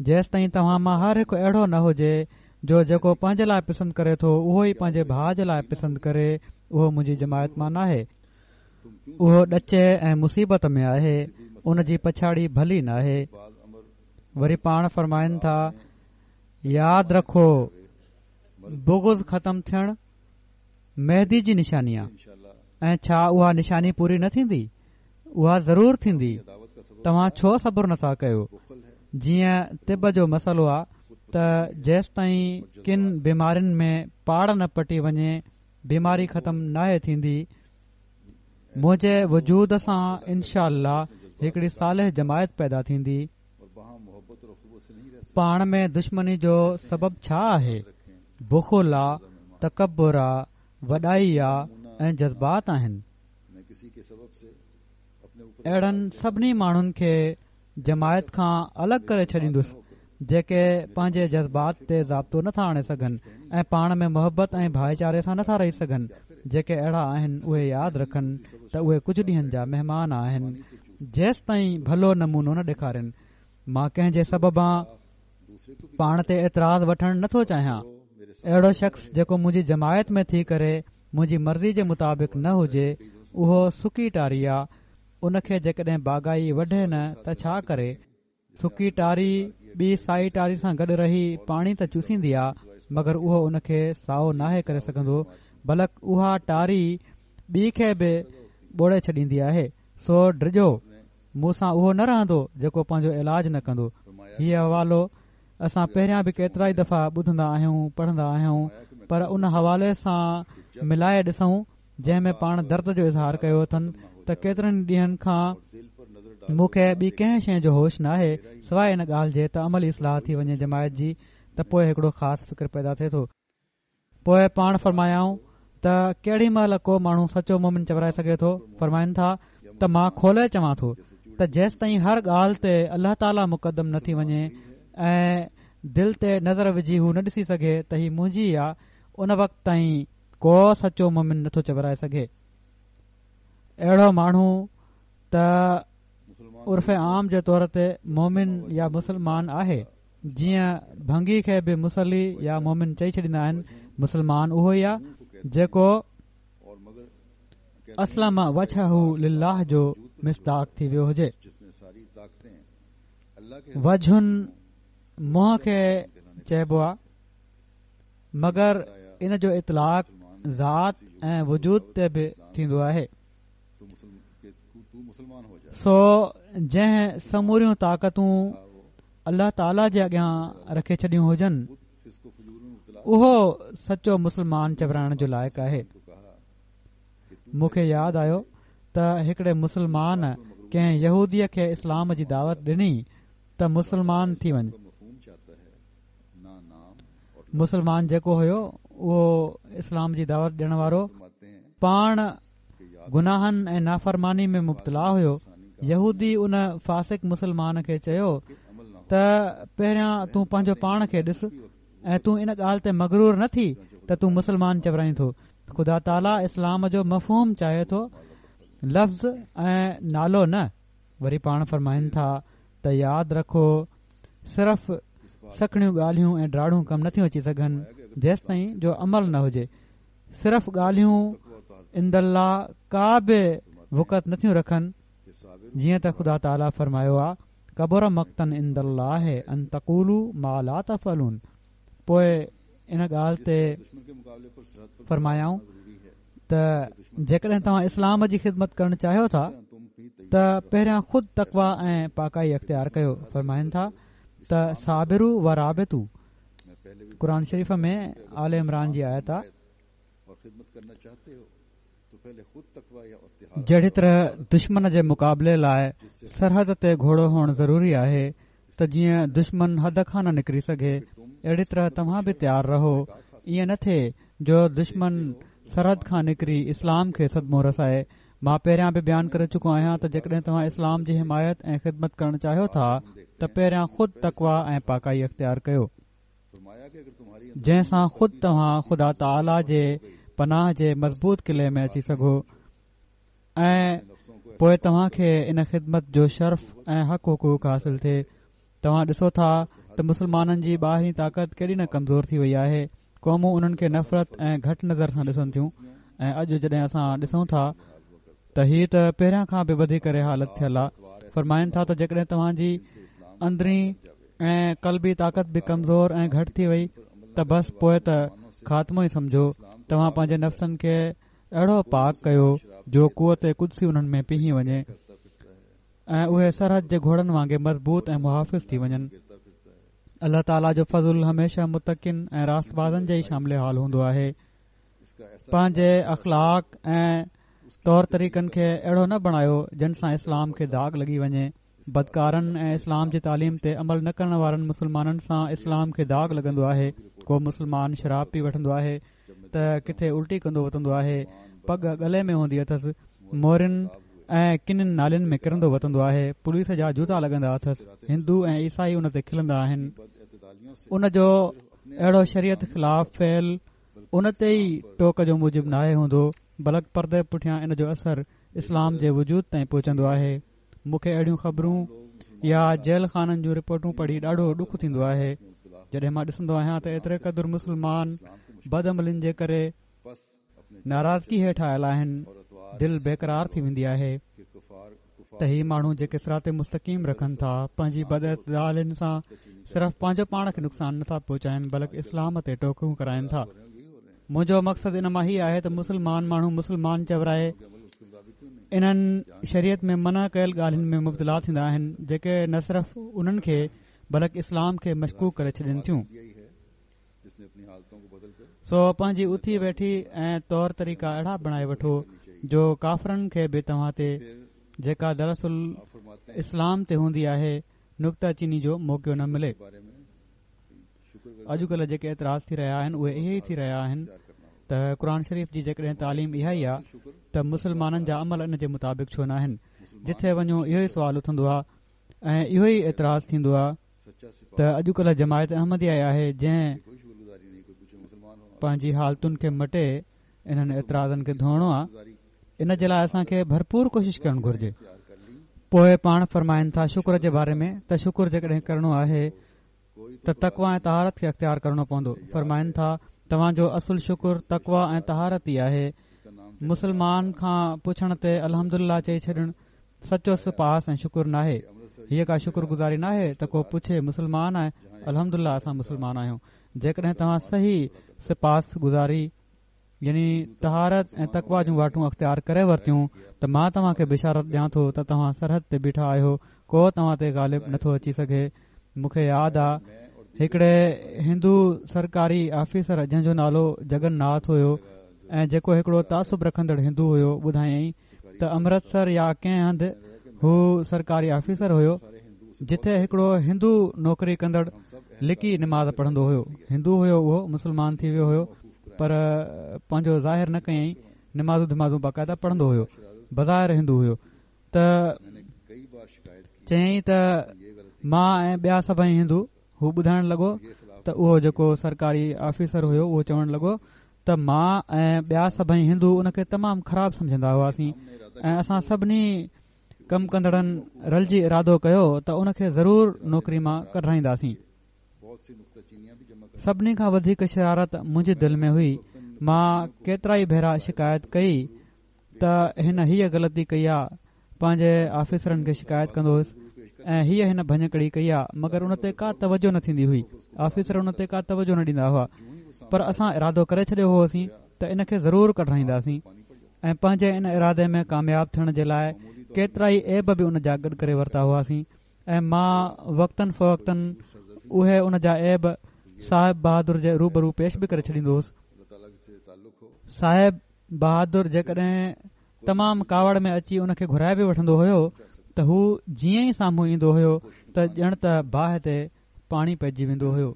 جيستائين توهان مان هر هڪ اهڙو نه هجي جو جيڪو پنهنجي لاءِ پسند ڪري ٿو اهو ئي پنهنجي ڀاءُ جي لاءِ پسند ڪري، اهو منهنجي جماعت مان ناهي. اهو ڏچي ۽ مصيبت ۾ آهي، ان جي پڇاڙي ڀلي ناهي. وري پاڻ فرمائن ٿا ياد رکو بغض ختم ٿيڻ مهدي جي نشاني آهي. ۽ ڇا اها نشاني پوري نه ٿيندي؟ اها ضرور ٿيندي. توهان ڇو صبر نٿا ڪيو؟ جيئن طب جو مسئلو آهي ته جيستائين ڪن بيمارين ۾ پاڙ نه پٽي وڃي بيماري ختم ناهي ٿيندي. منهنجي وجود سان انشاء الله هڪڙي صالح جماعت پيدا ٿيندي. پاڻ ۾ دشمني جو سبب ڇا آهي؟ بخل آ، تڪبر آ، وڏائي آ، ۽ جذبات آهن. اهڙن سڀني ماڻهن کي جماعت کان الڳ ڪري ڇڏيندس جيڪي پنهنجي جذبات تي ضابطو نٿا آڻي سگهن ۽ پاڻ ۾ محبت ۽ ڀائيچاري سان نٿا رهي سگهن. جيڪي اهڙا آهن اهي ياد رکن ته اهي ڪجهه ڏينهن جا مهمان آهن، جيستائين ڀلو نمونو نه ڏيکارين. مان ڪنهن جي سببان پاڻ تي اعتراض وٺڻ نٿو چاهيان. اهڙو شخص جيڪو منهنجي جماعت ۾ ٿي ڪري منهنجي مرضي جي مطابق نه هجي، اهو سڪي ٽاري آ. ان کي جيڪڏهن باغائي وڍي نه ته ڇا ڪري؟ سڪي ٽاري ٻي سائي ٽاري سان گڏ رهي پاڻي ته چوسيندي آ، مگر اهو ان کي سائو ناهي ڪري سگهندو، بلڪ اها ٽاري ٻي کي به ٻوڙي ڇڏيندي آهي. سو ڊڄو، مون سان اهو نه رهندو جيڪو پنهنجو علاج نه ڪندو. هيء حوالو اسان پهريان به ڪيترائي دفعا ٻڌندا آهيون، پڙهندا آهيون، پر ان حوالي سان ملائي ڏسون جنهن ۾ پاڻ درد جو اظهار ڪيو اٿن ته ڪيترن ڏينهن کان مون کي ٻي ڪنهن شيء جو هوش ناهي سواءِ ان ڳالهه جي ته عملي اصلاح ٿي وڃي جماعت جي، ته پوءِ هڪڙو خاص فڪر پيدا ٿئي ٿو. پوءِ پاڻ فرمايائون ته ڪهڙي مهل ڪو ماڻهو سچو مومن چورائي سگهي ٿو؟ فرمائن ٿا ته مان کولي چوان ٿو ته جيستائين هر ڳالهه تي الله تعاليٰ مقدم نه ٿي وڃي ۽ دل تي نظر وجهي هو نه ڏسي سگهي ته هي منهنجي آ، ان وقت تائين ڪو سچو مومن نٿو چورائي سگهي. اهڙو ماڻهو ته عرف عام جي طور تي مومن يا مسلمان آهي، جيئن ڀنگي کي به مصلي يا مومن چئي ڇڏيندا آهن. مسلمان اهو ئي آهي جيڪو اسلم وجهه لله جو مصداق ٿي ويو هجي. وجهن منهن کي چئبو آهي، مگر ان جو اطلاق ذات ۽ وجود تي به ٿيندو آهي. سو جنهن سموريون طاقتون الله تعاليٰ جي اڳيان رکي ڇڏيون هجن، اهو سچو مسلمان چورائڻ جو لائق آهي. مون کي ياد آيو ته هڪڙي مسلمان ڪنهن يهوديءَ کي اسلام جي دعوت ڏني ته مسلمان ٿي وڃ. مسلمان جيڪو هيو اهو اسلام جي دعوت ڏيڻ وارو پاڻ گناهن ۽ نافرماني ۾ مبتلا هيو. يهودي ان فاسق مسلمان کي چيو ته پهريان تون پنهنجو پاڻ کي ڏس ۽ تون ان ڳالهه تي مغرور نه ٿي ته تون مسلمان چورائين ٿو. خدا تعاليٰ اسلام جو مفهوم چاهي ٿو، لفظ ۽ نالو نه. وري پاڻ فرمائن ٿا ته ياد رکو، صرف سکڻيون ڳالهيون ۽ ڊاڙون ڪم نٿيون اچي سگهن جيستائين جو عمل نه هجي. صرف ڳالهيون عند الله ڪا به وقعت نٿيون رکن، جيئن ته خدا تعاليٰ فرمايو آ ڪبر مقتن عند الله ان تقولوا ما لا تفعلون. پوءِ ان ڳالهه تي فرمايائون ته جيڪڏهن توهان اسلام جي خدمت ڪرڻ چاهيو ٿا ته پهريان خود تقويٰ ۽ پاڪائي اختيار ڪيو. فرمائن ٿا ته صابروا و رابطوا، قرآن شريف ۾ آل عمران جي آيت آ. جهڙي طرح دشمن جي مقابلي لاءِ سرحد تي گهوڙو هئڻ ضروري آهي ته جيئن دشمن حد کان نه نڪري سگهي، اهڙي طرح توهان به تيار رهو، ائين نه ٿئي جو دشمن سرحد کان نڪري اسلام کي صدمو رسائي. مان پهريان به بيان ڪري چڪو آهيان ته جيڪڏهن توهان اسلام جي حمايت ۽ خدمت ڪرڻ چاهيو ٿا ته پهريان خود تقويٰ ۽ پاڪائي اختيار ڪيو، جنهن سان خود توهان خدا تعاليٰ جي پناهه جي مضبوط قلعي ۾ اچي سگهو ۽ پوءِ توهان کي ان خدمت جو شرف ۽ حق حقوق حاصل ٿئي. توهان ڏسو ٿا ته مسلمانن جي ٻاهرين طاقت ڪيڏي نه ڪمزور ٿي وئي آهي. قومون انهن کي نفرت ۽ گهٽ نظر سان ڏسن ٿيون ۽ اڄ جڏهن اسان ڏسون ٿا ته هي ته پهريان کان به وڌي ڪري حالت ٿيل آهي. فرمائن ٿا ته جيڪڏهن توهان جي اندرين ۽ قلبي طاقت به ڪمزور ۽ گهٽ ٿي وئي ته بس پوءِ ته خاتمو ئي سمجهو. توهان پنهنجي نفسن کي اهڙو پاڪ ڪيو جو قوت قدسي انهن ۾ پيهي وڃي ۽ اهي سرحد جي گهوڙن وانگي مضبوط ۽ محافظ ٿي وڃن. الله تعاليٰ جو فضل هميشه متقين ۽ راستبازن جي ئي شامل حال هوندو آهي. پنهنجي اخلاق ۽ طور طريقن کي اهڙو نه بڻايو جن سان اسلام کي داغ لڳي وڃي. بدڪارن ۽ اسلام جي تعليم تي عمل نه ڪرڻ وارن مسلمانن سان اسلام کي داغ لڳندو آهي. ڪو مسلمان شراب پي وٺندو آهي ته ڪٿي الٽي ڪندو وتندو آهي، پڳ ڳلي ۾ هوندي اٿس، مورين ۽ ڪنن نالين ۾ ڪرندو وتندو آهي، پوليس جا جوتا لڳندا اٿس، هندو ۽ عيسائي ان تي کلندا آهن. ان جو اهڙو شريعت خلاف فعل ان تي ئي ٽوڪ جو موجب ناهي هوندو، بلڪ پردي پٺيان ان جو اثر اسلام جي وجود تائين پهچندو آهي. مون کي اهڙيون خبرون يا جيل خانن جون رپورٽون پڙهي ڏاڍو ڏک ٿيندو آهي، جڏهن مان ڏسندو آهيان ته ايتري قدر مسلمان بدعملين جي ڪري ناراضگي هيٺ آيل آهن، دل بيقرار ٿي ويندي آهي ته هي ماڻهو جيڪي صراط مستقيم رکن ٿا، پنهنجي بداعتدالين سان صرف پنهنجو پاڻ کي نقصان نٿا پهچائن، بلڪ اسلام تي ٽوڪون ڪرائن ٿا. منهنجو مقصد ان مان هي آهي ته مسلمان ماڻهو مسلمان چورائي انهن شريعت ۾ منع ڪيل ڳالهين ۾ مبتلا ٿيندا آهن، جيڪي نه صرف انهن کي بلڪ اسلام کي مشڪوڪ ڪري ڇڏين ٿيون. سو پنهنجي اٿي ويٺي ۽ طور طريقا اهڙا بڻائي وٺو جو ڪافرن کي به توهان تي، جيڪا دراصل اسلام تي هوندي آهي، نڪته چيني جو موقعو نه ملي. اڄڪلهه جيڪي اعتراض ٿي رهيا آهن اهي اهي ئي ٿي رهيا آهن ته قرآن شريف جي جيڪڏهن تعليم اها ئي آهي ته مسلمانن جا عمل ان جي مطابق ڇو ناهن؟ جٿي وڃو اهو ئي سوال اٿندو آهي ۽ اهو ئي اعتراض ٿيندو آهي ته اڄڪلهه جماعت احمديه آهي جنهن پنهنجي حالتن کي مٽي انهن اعتراضن کي ڌوئڻو آهي. ان جي لاءِ اسان کي ڀرپور ڪوشش ڪرڻ گهرجي. پوءِ پاڻ فرمائن ٿا شڪر جي باري ۾ ته شڪر جيڪڏهن ڪرڻو آهي ته تقويٰ ۽ طهارت کي اختيار ڪرڻو پوندو. فرمائن ٿا توهان جو اصل شڪر تقويٰ ۽ طهارت ئي آهي. مسلمان کان پڇڻ تي الحمدلله چئي ڇڏڻ سچو سپاس ۽ شڪر ناهي. هيءَ ڪا شڪر گذاري ناهي ته ڪو پڇي مسلمان آهي، الحمدلله اسان مسلمان آهيون. جيڪڏهن توهان صحيح سپاس گذاري يعني طهارت ۽ تقويٰ جون واٽون اختيار ڪري ورتيون ته مان توهان کي بشارت ڏيان ٿو ته توهان سرحد تي بيٺا آهيو، ڪو توهان تي غالب نٿو اچي سگهي. مون کي ياد آ هڪڙي هندو سرڪاري آفيسر جنهن جو نالو جگن ناٿ هيو ۽ جيڪو هڪڙو تعصب رکندڙ هندو هيو، ٻڌايائين ته امرتسر يا ڪنهن هنڌ هو سرڪاري آفيسر هيو جتي هڪڙو هندو نوڪري ڪندڙ لڪي نماز پڙهندو هيو. هندو هيو، اهو مسلمان ٿي ويو هيو پر پنهنجو ظاهر نه ڪيائين، نمازون ڌمازون باقاعده پڙهندو هيو، بظاهر هندو هيو. ته چيائين ته مان ۽ ٻيا سڀئي هندو، هو ٻڌائڻ لڳو ته اهو جيڪو سرڪاري آفيسر هيو اهو چوڻ لڳو ته مان ۽ ٻيا سڀئي هندو ان کي تمام خراب سمجهندا هئاسين ۽ اسان سڀني ڪم ڪندڙن رلجي ارادو ڪيو ته ان کي ضرور نوڪري مان ڪڍرائينداسين. سڀني کان وڌيڪ شرارت منهنجي دل ۾ هئي. مان ڪيترا ئي ڀيرا شڪايت ڪئي ته هن هيءَ غلطي ڪئي آ، پنهنجي آفيسرن کي شڪايت ڪندو هيس ۽ هيءَ هن ڀڃڪڙي ڪئي آ، مگر ان تي ڪا توجه نه ٿيندي هئي. آفيسر ان تي ڪا توجه نه ڏيندا هئا، پر اسان ارادو ڪري ڇڏيو هوسين ته ان کي ضرور ڪڍرائينداسين ۽ پنهنجي ان ارادي ۾ ڪامياب ٿيڻ جي لاءِ ڪيترا ئي عيب به ان جا گڏ ڪري ورتا هئاسين ۽ مان وقتن فوقتن اهي ان جا عيب صاحب بهادر جي روبرو پيش به ڪري ڇڏيندو هوس. صاحب بهادر جيڪڏهن تمام ڪاوڙ ۾ اچي ان کي گهرائي به وٺندو هيو ته هو جيئن ئي سامهون ايندو هيو ته ڄڻ ته باهه تي پاڻي پئجي ويندو هيو،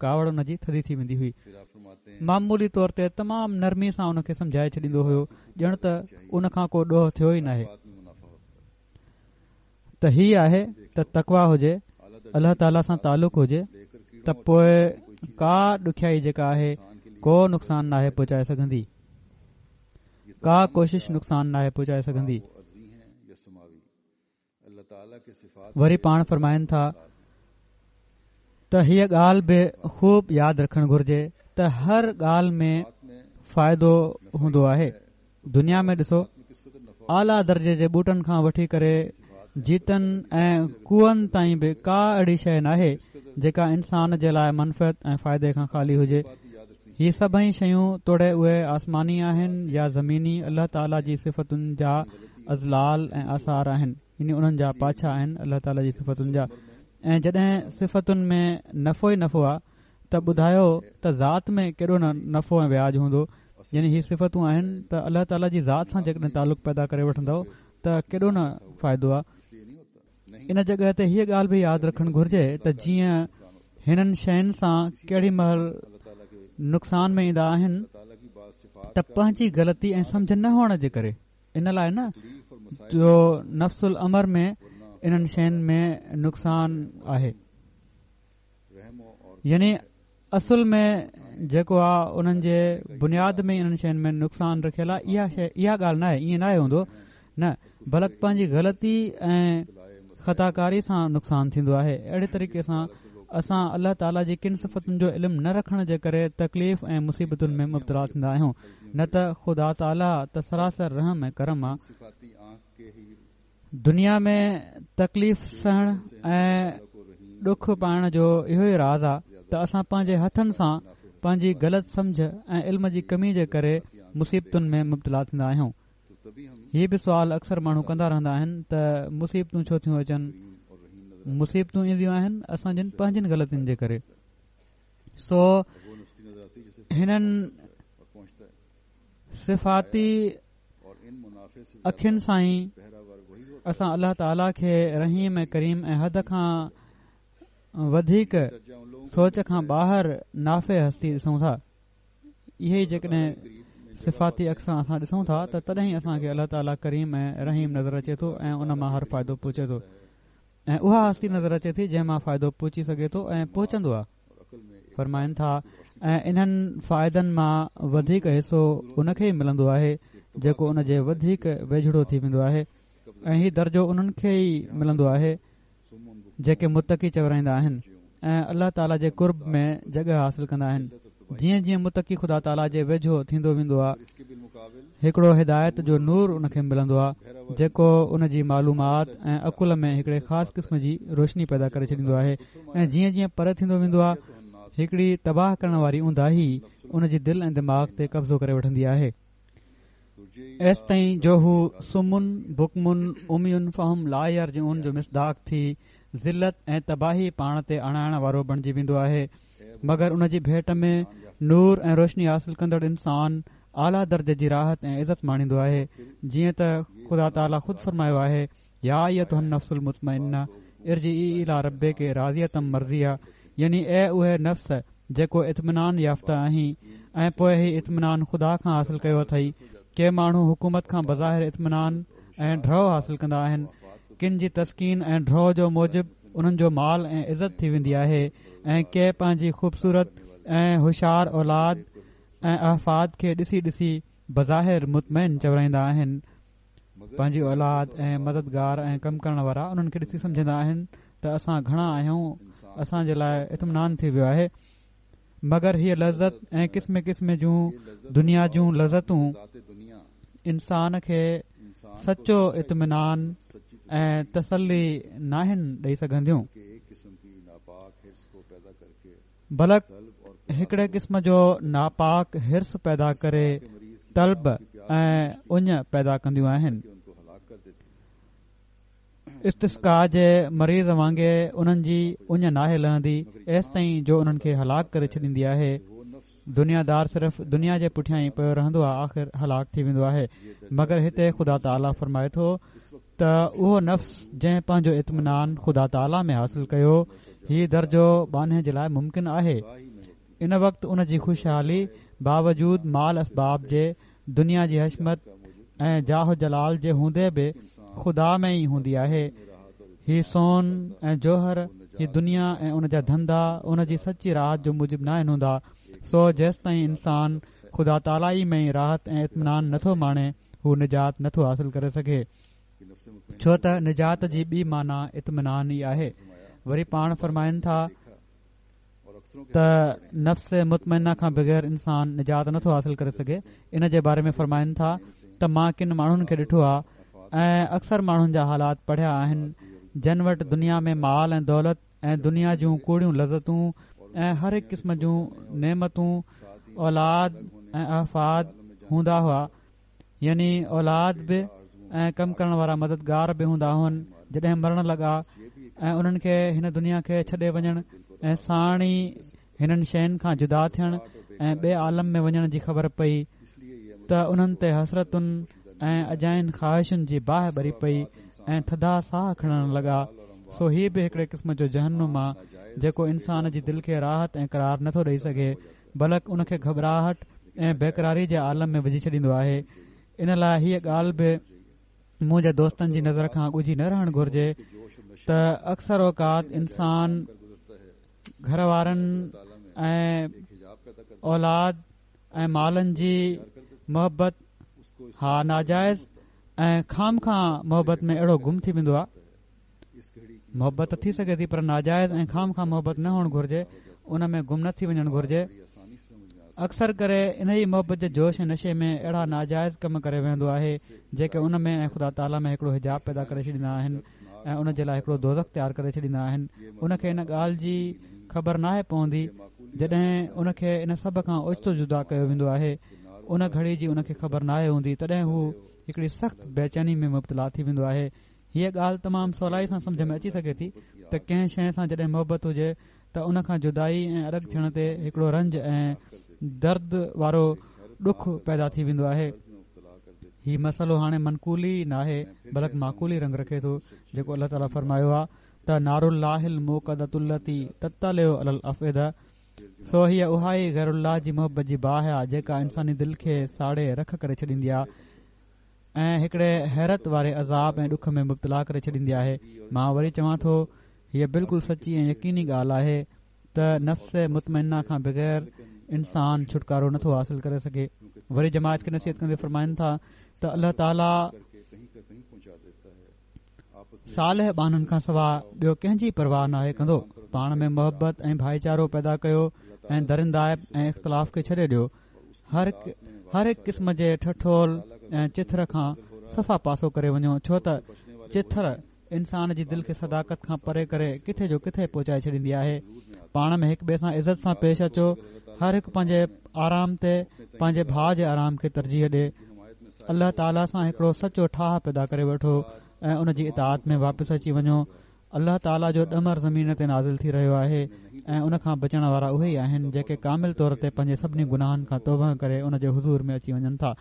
ڪاوڙ ان جي ٿڌي ٿي ويندي هئي. معمولي طور تي تمام نرمي سان ان کي سمجهائي ڇڏيندو هيو، ڄڻ ته ان کان ڪو ڏوهه ٿيو ئي ناهي. ته هي آهي ته تقويٰ هجي، الله تعاليٰ سان تعلق هجي ته پوءِ ڪا ڏکيائي جيڪا آهي ڪو نقصان ناهي پهچائي سگهندي، ڪا ڪوشش نقصان ناهي پهچائي سگهندي. وري پاڻ فرمائن ٿا ته هيءَ ڳالهه به خوب ياد رکڻ گهرجي ته هر ڳالهه ۾ فائدو هوندو آهي. دنيا ۾ ڏسو، اعليٰ درجي جي ٻوٽن کان وٺي ڪري جيتن ۽ ڪوئن تائين به ڪا اهڙي شيءِ ناهي جيڪا انسان جي لاءِ منفعت ۽ فائدي کان خالي هجي. هي سڀئي شيون توڙي اهي آسماني آهن يا زميني، الله تعاليٰ جي صفتن جا اظلال ۽ آثار آهن، يعني انهن جا پاڇا آهن الله تعاليٰ جي صفتن جا. ۽ جڏهن صفتن ۾ نفعو ئي نفعو آهي ته ٻڌايو ته ذات ۾ ڪيڏو نه نفعو ۽ وياج هوندو. يعني هي صفتون آهن ته الله تعاليٰ جي ذات سان جيڪڏهن تعلق پيدا ڪري وٺندؤ ته ڪيڏو نه فائدو آهي. ان جڳهه تي هيءَ ڳالهه به ياد رکڻ گهرجي ته جيئن هنن شين سان ڪهڙي مهل نقصان ۾ ايندا آهن ته پنهنجي غلطي ۽ سمجهه نه هئڻ جي ڪري، ان لاءِ نه جو نفس الامر ۾ انهن شين ۾ نقصان آهي. يعني اصل ۾ جيڪو آهي انهن جي بنياد ۾ انهن شين ۾ نقصان رکيل آهي. اها شيءِ اها ڳالهه نه آهي، ائين نه آهي هوندو نه، بلڪ پنهنجي غلطي ۽ خطاڪاري سان نقصان ٿيندو آهي. اهڙي طريقي سان اسان الله تعاليٰ جي ڪن صفتن جو علم نه رکڻ جي ڪري تڪليف ۽ مصيبتن ۾ مبتلا ٿيندا آهيون، نه ته خدا تعاليٰ ته سراسر رحم ۽ ڪرم آهي. دنيا ۾ تڪليف سهڻ ۽ ڏک پائڻ جو اهو ئي راز آهي ته اسان پنهنجي هٿن سان پنهنجي غلط سمجهه ۽ علم جي ڪمي جي ڪري مصيبتن ۾ مبتلا ٿيندا آهيون. هي به سوال اڪثر ماڻهو ڪندا رهندا آهن ته مصيبتون ڇو ٿيون اچن؟ مصيبتون اينديون آهن اسان جن پنهنجن غلطين جي ڪري. سو هنن صفاتي اکين سان ئي اسان الله تعاليٰ کي رحيم ۽ ڪريم ۽ حد کان وڌيڪ سوچ کان ٻاهر نافع هستي ڏسون ٿا. اهي ئي جيڪڏهن صفاتي اک سان اسان ڏسون ٿا ته تڏهن ئي اسان کي الله تعاليٰ ڪريم ۽ رحيم نظر اچي ٿو ۽ ان مان هر فائدو پهچي ٿو ۽ اها هستي نظر اچي ٿي جنهن مان فائدو پهچي سگهي ٿو ۽ پهچندو آهي. فرمائن ٿا ۽ انهن فائدن مان وڌيڪ حصو ان کي ئي ملندو آهي جيڪو ان جي وڌيڪ ويجهڙو ٿي ويندو آهي ۽ هي درجو انهن کي ئي ملندو آهي جيڪي متقي چورائيندا آهن ۽ الله تعاليٰ جي قرب ۾ جڳهه حاصل ڪندا آهن. جيئن جيئن متقي خدا تعاليٰ جي ويجهو ٿيندو ويندو آهي هڪڙو هدايت جو نور ان کي ملندو آهي جيڪو ان جي معلومات ۽ عقل ۾ هڪڙي خاص قسم جي روشني پيدا ڪري ڇڏيندو آهي ۽ جيئن جيئن پري ٿيندو ويندو آهي هڪڙي تباهه ڪرڻ واري اونداهي ان جي دل ۽ دماغ تي قبضو ڪري وٺندي آهي ايستائين جو هو صم بڪم عمي فهم لا يرجعون جو مصداق ٿي ذلت ۽ تباهي پاڻ تي آڻائڻ وارو بڻجي ويندو آهي. مگر ان جي ڀيٽ ۾ نور ۽ روشني حاصل ڪندڙ انسان اعليٰ درجي جي راحت ۽ عزت ماڻيندو آهي، جيئن ته خدا تعاليٰ خود فرمايو آهي يا ايتها النفس المطمئنه ارجعي الي ربڪ راضية مرضيه، يعني اي اهي نفس جيڪو اطمينان يافته آهين ۽ پوءِ هي اطمينان خدا کان حاصل ڪيو اٿئي. ڪي ماڻهو حڪومت کان بظاهر اطمينان ۽ ڍؤ حاصل ڪندا آهن، ڪن جي تسڪين ۽ ڍؤ جو موجب انهن جو مال ۽ عزت ٿي ويندي آهي ۽ ڪي پنهنجي خوبصورت ۽ هوشيار اولاد ۽ احفاد کي ڏسي ڏسي بظاهر مطمئن چورائيندا آهن. پنهنجي اولاد ۽ مددگار ۽ ڪم ڪرڻ وارا انهن کي ڏسي سمجهندا آهن ته اسان گهڻا آهيون، اسان جي لاءِ اطمينان ٿي ويو آهي. مگر هيءَ لذت ۽ قسم قسم جون دنيا جون لذتون انسان کي سچو اطمينان ۽ تسلي ناهن ڏئي سگهنديون، بلڪ هڪڙي قسم جو ناپاڪ حرص پيدا ڪري طلب ۽ اڃ پيدا ڪنديون آهن. استسقا جي مريض وانگي انهن جي اڃ ناهي لهندي ايستائين جو انهن کي هلاڪ ڪري ڇڏيندي آهي. دنيا دار صرف دنيا جي پٺيان ئي پيو رهندو آهي، آخر هلاڪ ٿي ويندو آهي. مگر هتي خدا تعاليٰ فرمائي ٿو ته اهو نفس جنهن پنهنجو اطمينان خدا تعاليٰ ۾ حاصل ڪيو، هي درجو ٻانهي جي لاءِ ممڪن آهي. ان وقت ان جي خوشحالي باوجود مال اسباب جي، دنيا جي حشمت ۽ جاه جلال جي هوندي به خدا ۾ ئي هوندي آهي. هي سون ۽ جوهر، هي دنيا ۽ ان جا ڌنڌا ان جي سچي راحت جو موجب ناهن هوندا. سو جيستائين انسان خدا تعاليٰ ئي ۾ ئي راحت ۽ اطمينان نٿو ماڻي، هو نجات نٿو حاصل ڪري سگهي، ڇو ته نجات جي ٻي معنيٰ اطمينان ئي آهي. وري پاڻ فرمائن ٿا ته نفس مطمئنه کان بغير انسان نجات نٿو حاصل ڪري سگهي. ان جي باري ۾ فرمائن ٿا ته مان ڪن ماڻهن کي ڏٺو آهي ۽ اڪثر ماڻهن جا حالات پڙهيا آهن جن وٽ دنيا ۾ مال ۽ دولت ۽ دنيا جون ڪوڙيون لذتون ۽ هر هڪ قسم جون نعمتون، اولاد ۽ احفاد هوندا هئا، يعني اولاد به ۽ ڪم ڪرڻ وارا مددگار به هوندا هئن. جڏهن مرڻ لڳا ۽ انهن کي هن دنيا کي ڇڏي وڃڻ ۽ ساڻ ئي هنن شين کان جدا ٿيڻ ۽ ٻئي عالم ۾ وڃڻ جي خبر پئي ته انهن تي حسرتن ۽ اجاين خواهشن جي باهه ٻري پئي ۽ ٿڌا ساهه کڻڻ لڳا. سو هي به هڪڙي قسم جو جهنم آ جيڪو انسان جي دل کي راحت ۽ قرار نٿو ڏئي سگهي، بلڪ ان کي گهٻراهٽ ۽ بيقراري جي عالم ۾ وجهي ڇڏيندو آهي. ان لاءِ هيءَ ڳالهه به منهنجي دوستن جي نظر کان ڳجهي نه رهڻ گهرجي ته اڪثر اوقات انسان گهر وارن ۽ اولاد ۽ مالن جي محبت ها ناجائز ۽ خام خواه محبت ۾ اهڙو گم ٿي ويندو آهي. محبت ٿي سگهي ٿي پر ناجائز ۽ خام خواه محبت نه هئڻ گهرجي، ان ۾ گم نه ٿي وڃڻ گهرجي. اڪثر ڪري ان ئي محبت جي جوش ۽ نشي ۾ اهڙا ناجائز ڪم ڪري ويندو آهي جيڪي ان ۾ ۽ خدا تعاليٰ ۾ هڪڙو حجاب پيدا ڪري ڇڏيندا آهن ۽ ان جي لاءِ هڪڙو دوزخ تيار ڪري ڇڏيندا آهن. ان کي ان ڳالهه جي خبر ناهي پوندي جڏهن ان کي ان سڀ کان اوچتو جدا ڪيو ويندو آهي، ان گهڙي جي ان کي خبر ناهي هوندي، تڏهن هو هڪڙي سخت بيچيني ۾ مبتلا ٿي ويندو آهي. هيءَ ڳالهه تمام سولائي سان سمجهه ۾ اچي سگهي ٿي ته ڪنهن شيءِ سان جڏهن محبت هجي ته ان کان جدائي ۽ الڳ ٿيڻ تي هڪڙو رنج ۽ درد وارو ڏک پيدا ٿي ويندو آهي. هي مسئلو هاڻي منقولي ناهي بلڪ معقولي رنگ رکي ٿو، جيڪو الله تعاليٰ فرمايو آهي ته نار الله الموقدة التي تطلع علي الافئده. سو هيءَ اها ئي غير الله جي محبت جي باهه آهي جيڪا انساني دل کي ساڙي رک ڪري ڇڏيندي آهي ۽ هڪڙي حيرت واري عذاب ۽ ڏک ۾ مبتلا ڪري ڇڏيندي آهي. مان وري چوان ٿو هيءَ بلڪل سچي ۽ يقيني ڳالهه آهي ته نفس مطمئنه کان بغير انسان ڇوٽڪارو نٿو حاصل ڪري سگهي. وري جماعت کي نصيحت ڪندي فرمائن ٿا ته الله تعاليٰ صالح ٻانهن کان سواءِ ٻيو ڪنهن جي پرواهه ناهي ڪندو. پاڻ ۾ محبت ۽ ڀائيچارو پيدا ڪيو ۽ درندائپ ۽ اختلاف کي ڇڏي ڏيو. هر هر هڪ قسم جي ٺٺول ۽ چٿر کان صفا پاسو ڪري وڃو، ڇو ته چٿر انسان جي دل کي صداقت کان پري ڪري ڪٿي جو ڪٿي پهچائي ڇڏيندي آهي. پاڻ ۾ هڪ ٻئي سان عزت سان پيش اچو. هر هڪ پنهنجي آرام تي پنهنجي ڀاءُ جي آرام کي ترجيح ڏي. الله تعاليٰ سان هڪڙو سچو ٺاهه پيدا ڪري وٺو ۽ ان جي اطاعت ۾ واپس اچي وڃو. الله تعاليٰ جو ڏمر زمين تي نازل ٿي رهيو آهي ۽ ان کان بچڻ وارا اهي ئي آهن جيڪي ڪامل طور تي پنهنجي سڀني گناهن کان توبه ڪري ان جي حضور ۾ اچي وڃن ٿا.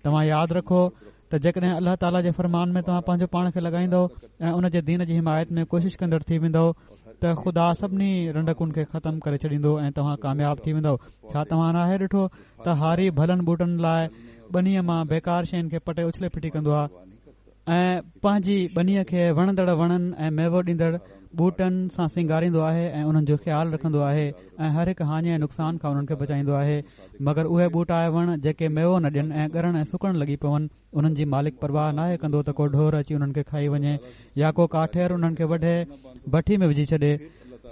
توهان ياد رکو ته جيڪڏهن الله تعاليٰ جي فرمان ۾ توهان پنهنجو پاڻ کي لڳائيندو ۽ ان جي دين جي حمايت ۾ ڪوشش ڪندڙ ٿي ويندو ته خدا سڀني رنڊڪن کي ختم ڪري ڇڏيندو ۽ توهان ڪامياب ٿي ويندو. ڇا توهان ناهي ڏٺو ته هاري ڀلن ٻوٽن لاءِ ٻنيءَ مان بيڪار شين کي پٽي اڇلي ڦٽي ڪندو آهي ۽ پنهنجي ٻنيءَ کي وڻندڙ وڻن ۽ ميوو ڏيندڙ ٻوٽن سان سينگاريندو آهي ۽ انهن جو خيال رکندو آهي ۽ هر هڪ هاڃي ۽ نقصان کان انهن کي بچائيندو آهي. مگر اهي ٻوٽا ۽ وڻ جيڪي ميوو نه ڏين ۽ ڳرڻ ۽ سڪڻ لڳي پون، انهن جي مالڪ پرواهه ناهي ڪندو ته ڪو ڍور اچي انهن کي کائي وڃي يا ڪو ڪاٺير انهن کي وڍي بٺي ۾ وجهي ڇڏي.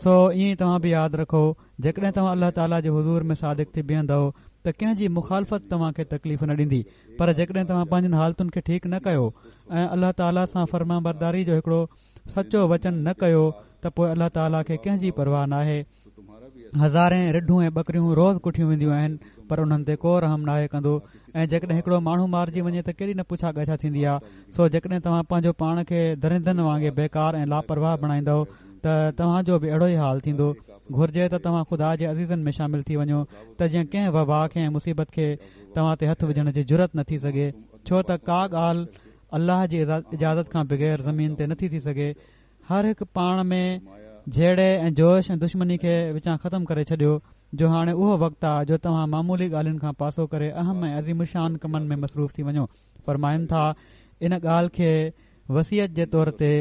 سو ائين ئي توهان به ياد رکو، جيڪڏهن توهان الله تعاليٰ جي حضور ۾ صادق ٿي بيهندؤ ته ڪنهن جي مخالفت توهان کي تڪليف نه ڏيندي. پر جيڪڏهن توهان پنهنجن حالتن کي ٺيڪ نه ڪيو ۽ الله تعاليٰ سان فرمانبرداري جو هڪڙو سچو وچن نه ڪيو ته پوءِ الله تعاليٰ کي ڪنهن جي پرواهه ناهي. هزارين رڍون ۽ ٻڪريون روز ڪٺيون وينديون آهن پر انهن تي ڪو رحم ناهي ڪندو. ۽ جيڪڏهن هڪڙو ماڻهو مارجي وڃي ته ڪيڏي نه پڇا ڳاڇا ٿيندي آهي. سو جيڪڏهن توهان پنهنجو پاڻ کي درندن وانگي بيڪار ۽ لاپرواهه بڻائيندؤ ته توهان جو به اهڙو ئي حال ٿيندو. گهرجي ته توهان خدا جي عزيزن ۾ شامل ٿي وڃو ته جيئن ڪنهن وبا کي ۽ مصيبت کي توهان تي هٿ وجهڻ جي جرئت نه ٿي سگهي، ڇو ته ڪا ڳالهه الله جي اجازت کان بغير زمين تي نٿي ٿي سگهي. هر هڪ پاڻ ۾ جهيڙي ۽ جوش ۽ دشمني کي وچان ختم ڪري ڇڏيو، جو هاڻي اهو وقت آهي جو توهان معمولي ڳالهين کان پاسو ڪري اهم ۽ عظيم الشان ڪمن ۾ مصروف ٿي وڃو. فرمائن ٿا ان ڳالهه کي وصيت جي طور تي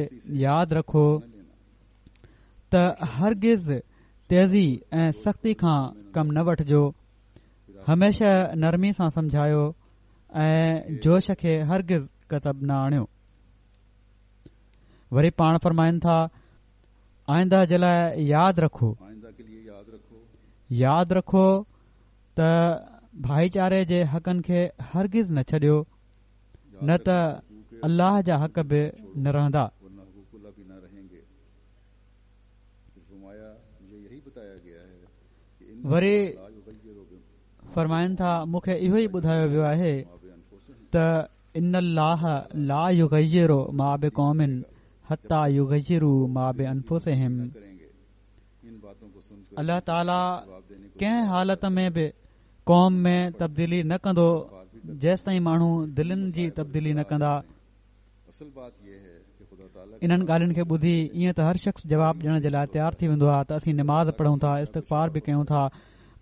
ياد رکو ته هرگز تيزي ۽ سختي کان ڪم نه وٺجو، هميشه نرمي سان سمجهايو ۽ جوش کي هرگز ڪتب نه آڻيو. وري پاڻ فرمائن ٿا آئنده جي لاءِ ياد رکو، ياد رکو ته ڀائيچاري جي حقن کي هرگز نه ڇڏيو، نه ته الله جا حق به نه رهندا. وري فرمائن ٿا مون کي اهو ئي ٻڌايو ويو آهي ته ان الله لا يغير ما بقوم حتى يغيروا ما بانفسهم. الله تعاليٰ ڪنهن حالت ۾ به قوم ۾ تبديلي نه ڪندو جيستائين ماڻهو دلن جي تبديلي نه ڪندا. انهن ڳالهين کي ٻڌي ائين ته هر شخص جواب ڏيڻ جي لاءِ تيار ٿي ويندو آهي ته اسين نماز پڙهون ٿا، استغفار به ڪيون ٿا،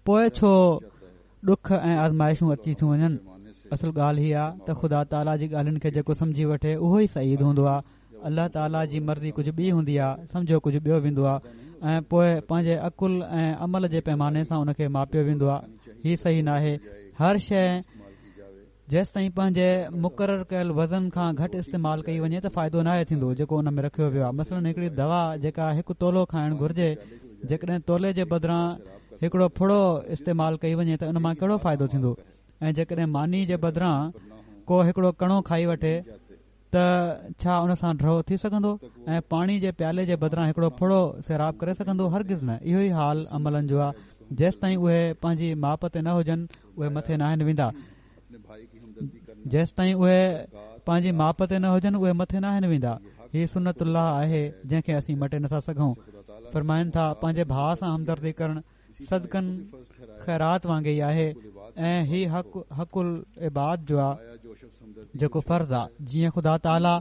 پوءِ ڇو ڏک ۽ آزمائشون اچي ٿيون وڃن. اصل ڳالهه هي آهي ته خدا تعاليٰ جي ڳالهين کي جيڪو سمجهي وٺي اهو ئي سعيد هوندو آهي. الله تعاليٰ جي مرضي ڪجهه ٻي هوندي آهي، سمجهيو ڪجهه ٻيو ويندو آهي ۽ پوءِ پنهنجي عقل ۽ عمل جي پيماني سان ان کي ماپيو ويندو آهي. هي صحيح ناهي. هر شيءِ جيستائين پنهنجي مقرر ڪيل وزن کان گهٽ استعمال ڪئي وڃي ته فائدو ناهي ٿيندو جيڪو ان ۾ رکيو ويو آهي. مثلاً هڪڙي دوا جيڪا هڪ تولو کائڻ گهرجي، جيڪڏهن تولي جي بدران هڪڙو ڦڙو استعمال ڪئي وڃي ته ان مان ڪهڙو فائدو ٿيندو؟ ۽ جيڪڏهن ماني جي بدران ڪو هڪڙو ڪڻو کائي وٺي ته ڇا ان سان ڍؤ ٿي سگهندو؟ ۽ پاڻي جي پيالي جي بدران هڪڙو ڦڙو سيراب ڪري سگهندو؟ هرگز نه. اهو ئي حال عملن جو آهي. جيستائين اهي پنهنجي ماپ تي نه هجن اهي مٿي ناهن ويندا. جيستائين اهي پنهنجي ماپ تي نه هجن اهي مٿي ناهن ويندا. هي سنت الله آهي جنهن کي اسين مٽي نٿا سگهون. فرمائن ٿا پنهنجي ڀاءُ سان همدردي ڪرڻ صدقن خيرات وانگي ئي آهي ۽ هي حق حق العباد جو آهي جيڪو فرض آهي. جيئن خدا تعاليٰ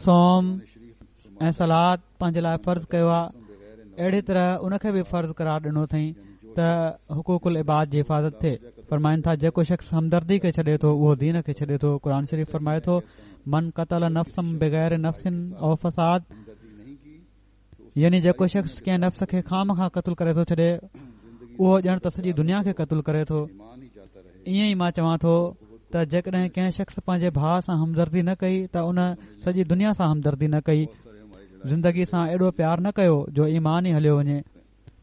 صوم ۽ صلات پنهنجي لاءِ فرض ڪيو آهي، اهڙي طرح ان کي به فرض قرار ڏنو اٿئي ته حقوق العباد جي حفاظت ٿئي. فرمائن ٿا جيڪو شخص همدردي کي ڇڏي ٿو اهو دين کي ڇڏي ٿو. قرآن شريف فرمائي ٿو من قتل نفسا بغير نفس او فساد، يعني جيڪو شخص ڪنهن نفس کي خامخواه قتل ڪري ٿو ڇڏي اهو ڄڻ ته سڄي دنيا کي قتل ڪري ٿو. ائين ئي مان چوان ٿو ته جيڪڏهن ڪنهن شخص پنهنجي ڀاءُ سان همدردي نه ڪئي ته ان سڄي دنيا سان همدردي نه ڪئي، زندگي سان ايڏو پيار نه ڪيو جو ايمان ئي هليو وڃي.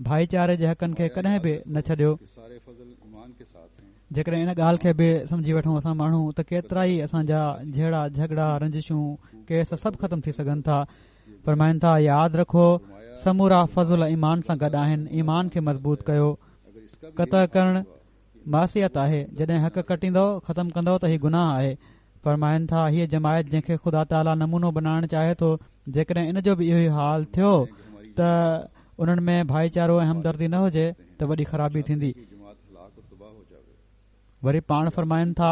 ڀائيچاري جي حقن کي ڪڏهن به نه ڇڏيو. جيڪڏهن ان ڳالهه کي به سمجهي وٺون اسان ماڻهو ته ڪيترا ئي اسان جا جهيڙا جهڳڙا رنجشون ڪيس سڀ ختم ٿي سگهن ٿا. فرمائن ٿا ياد رکو سمورا فضل ايمان سان گڏ آهن، ايمان کي مضبوط ڪيو. قطع ڪرڻ معصيت آهي، جڏهن حق ڪٽيندو ختم ڪندو ته هي گناهه آهي. فرمائن ٿا هيءَ جماعت جنهن کي خدا تعاليٰ نمونو بنائڻ چاهي ٿو، جيڪڏهن ان جو به اهو ئي حال ٿيو ته انهن ۾ ڀائيچارو ۽ همدردي نه هجي ته وڏي خرابي ٿيندي. وري پاڻ فرمائن ٿا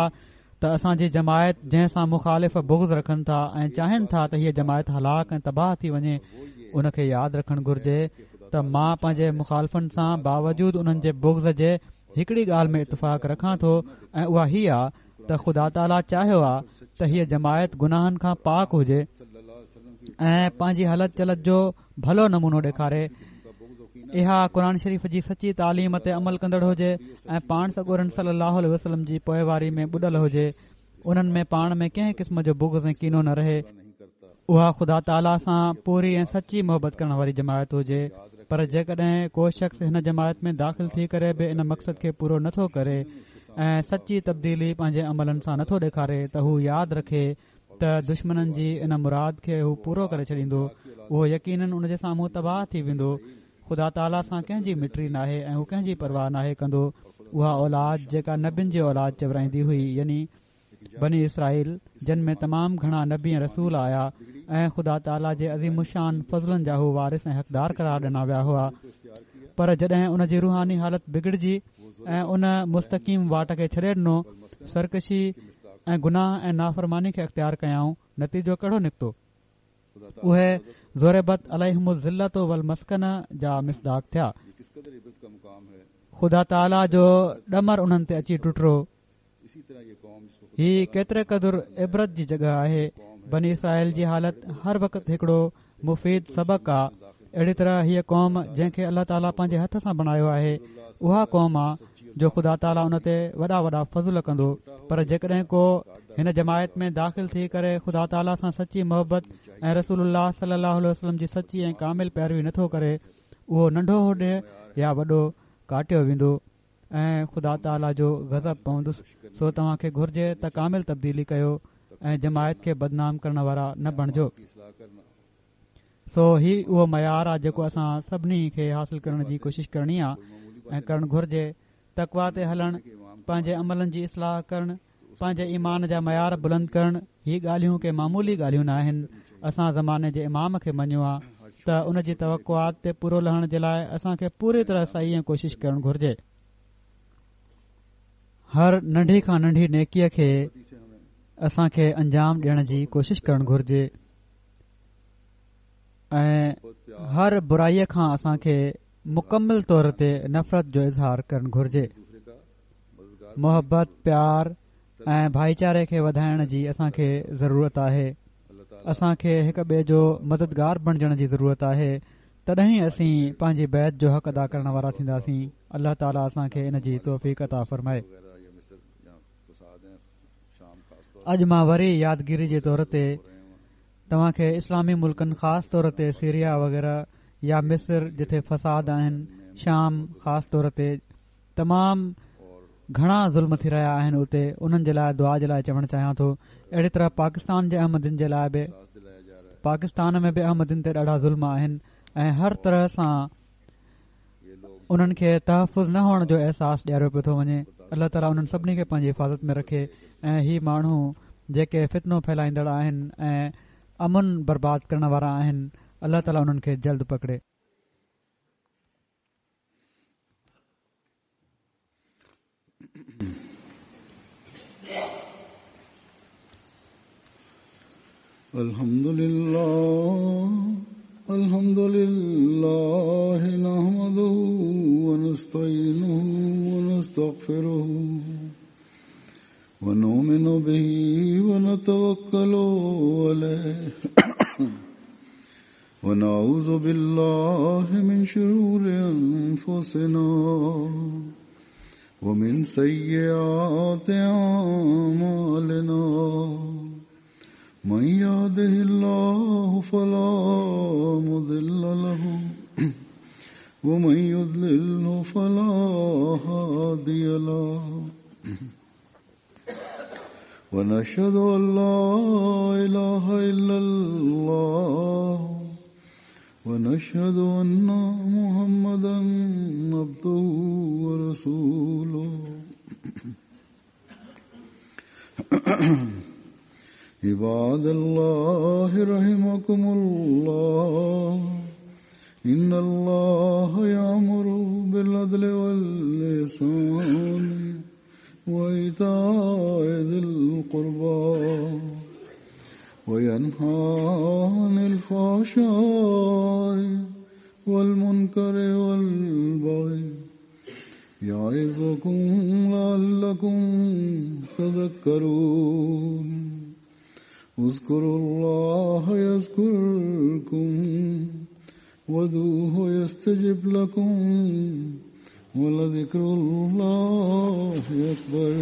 ته اسان جي جماعت جنهن سان مخالف بغض رکن ٿا ۽ چاهين ٿا ته هيءَ جماعت هلاڪ ۽ تباهه ٿي وڃي، ان کي ياد رکڻ گهرجي ته مان پنهنجي مخالفن سان باوجود انهن جي بغض جي هڪڙي ڳالهه ۾ اتفاق رکان ٿو ۽ اها هي آهي ته خدا تعاليٰ چاهيو آهي ته هيءَ جماعت گناهن کان پاڪ هجي ۽ پنهنجي هلت چلت جو ڀلو نمونو ڏيکاري. اها قرآن شريف جي سچي تعليم تي عمل ڪندڙ هجي ۽ پاڻ سڳورن صلي الله عليه وسلم جي پوئواري ۾ ٻڏل هجي. انهن ۾ پاڻ ۾ ڪنهن قسم جو بغض ۽ ڪينو نه رهي. اها خدا تعاليٰ سان پوري ۽ سچي محبت ڪرڻ واري جماعت هجي. پر جيڪڏهن ڪو شخص هن جماعت ۾ داخل ٿي ڪري به ان مقصد کي پورو نٿو ڪري ۽ سچي تبديلي پنهنجي عملن سان نٿو ڏيکاري ته هو ياد رکي ته دشمنن جي ان مراد کي هو پورو ڪري ڇڏيندو، اهو يقينن ان جي سامهون تباهه ٿي ويندو. خدا تعاليٰ سان ڪنهن جي مٽي ناهي ۽ هو ڪنهن جي پرواهه ناهي ڪندو. اها اولاد جيڪا نبين جي اولاد چورائيندي هئي، يعني بني اسرائيل، جن ۾ تمام گهڻا نبي ۽ رسول آيا ۽ خدا تعاليٰ جي عظيم الشان فضلن جا هو وارث ۽ حقدار قرار ڏنا ويا هئا، پر جڏهن ان جي روحاني حالت بگڙجي ۽ ان مستقيم واٽ کي ڇڏي ڏنو، سرڪشي ۽ گناهه ۽ نافرماني کي اختيار ڪيائون، نتيجو ڪهڙو نڪتو؟ اهي ضربت عليهم الذلة والمسڪنة جا مصداق ٿيا. خدا تعاليٰ جو ڏمر انهن تي اچي ٽٽرو. هي ڪيتري قدر عبرت جي جڳهه آهي. بني اسرائيل جي حالت هر وقت هڪڙو مفيد سبق آهي. اهڙي طرح هيءَ قوم جنهن کي الله تعاليٰ پنهنجي هٿ سان بڻايو آهي اها قوم آهي جو خدا تعاليٰ ان تي وڏا وڏا فضل ڪندو. پر جيڪڏهن ڪو هن جماعت ۾ داخل ٿي ڪري خدا تعاليٰ سان سچي محبت ۽ رسول الله صلي الله عليه وسلم جي سچي ۽ ڪامل پيروي نٿو ڪري، اهو ننڍو هجي يا وڏو، ڪاٽيو ويندو ۽ خدا تعاليٰ جو غضب پوندس. سو توهان کي گهرجي ته ڪامل تبديلي ڪيو ۽ جماعت کي بدنام ڪرڻ وارا نه بڻجو. سو هي اهو معيار آهي جيڪو اسان سڀني کي حاصل ڪرڻ جي ڪوشش ڪرڻي آهي ۽ ڪرڻ گهرجي. تقويٰ تي هلڻ، پنهنجي عملن جي اصلاح ڪرڻ، پنهنجي ايمان جا معيار بلند ڪرڻ، هي ڳالهيون ڪي معمولي ڳالهيون نه آهن. اسان زماني جي امام کي مڃيو آهي ته ان جي توقعات تي پورو لهڻ جي لاءِ اسان کي پوري طرح صحيح ۽ ڪوشش ڪرڻ گهرجي. هر ننڍي کان ننڍي نيڪيءَ کي اسان کي انجام ڏيڻ جي ڪوشش ڪرڻ گهرجي ۽ هر برائيءَ کان اسان کي مڪمل طور تي نفرت جو اظهار ڪرڻ گهرجي. محبت، پيار ۽ ڀائيچاري کي وڌائڻ جي اسان کي ضرورت آهي. اسان کي هڪ ٻئي جو مددگار بڻجڻ جي ضرورت آهي، تڏهن ئي اسين پنهنجي بيعت جو حق ادا ڪرڻ وارا ٿينداسين. الله تعاليٰ اسان کي ان جي توفيق عطا فرمائي. اڄ مان وري يادگيري جي طور تي توهان کي اسلامي ملڪن خاص طور تي سيريا وغيره يا مصر جتي فساد آهن، شام خاص طور تي تمام گهڻا ظلم ٿي رهيا آهن، اتي انهن جي لاءِ دعا جي لاءِ چوڻ چاهيان ٿو. اهڙي طرح پاڪستان جي احمدين جي لاءِ به، پاڪستان ۾ به احمدين تي ڏاڍا ظلم آهن ۽ هر طرح سان انهن کي تحفظ نه هئڻ جو احساس ڏياريو پيو ٿو وڃي. الله تعاليٰ انهن سڀني کي پنهنجي حفاظت ۾ رکي ۽ هي ماڻهو جيڪي فتنو ڦهلائيندڙ آهن ۽ امن برباد ڪرڻ وارا آهن، الله تعاليٰ انهن کي جلد پڪڙي. الحمد لله الحمد لله نحمده ونستعينه ونستغفره ونؤمن به ونتوكل عليه ونعوذ بالله من شرور أنفسنا ومن سيئات أعمالنا من يهده الله فلا مضل له ومن يضلله فلا هادي له ونشهد أن لا إله إلا الله ونشهد أن محمدا عبده ورسوله. عباد الله رحمكم الله، إن الله يأمر بالعدل والإحسان وإيتاء ذي القربى وينهى عن الفحشاء والمنكر والبغي يعظكم لعلكم تذكرون. اذكروا الله يذكركم وادعوه يستجب لكم ولذكر الله أكبر.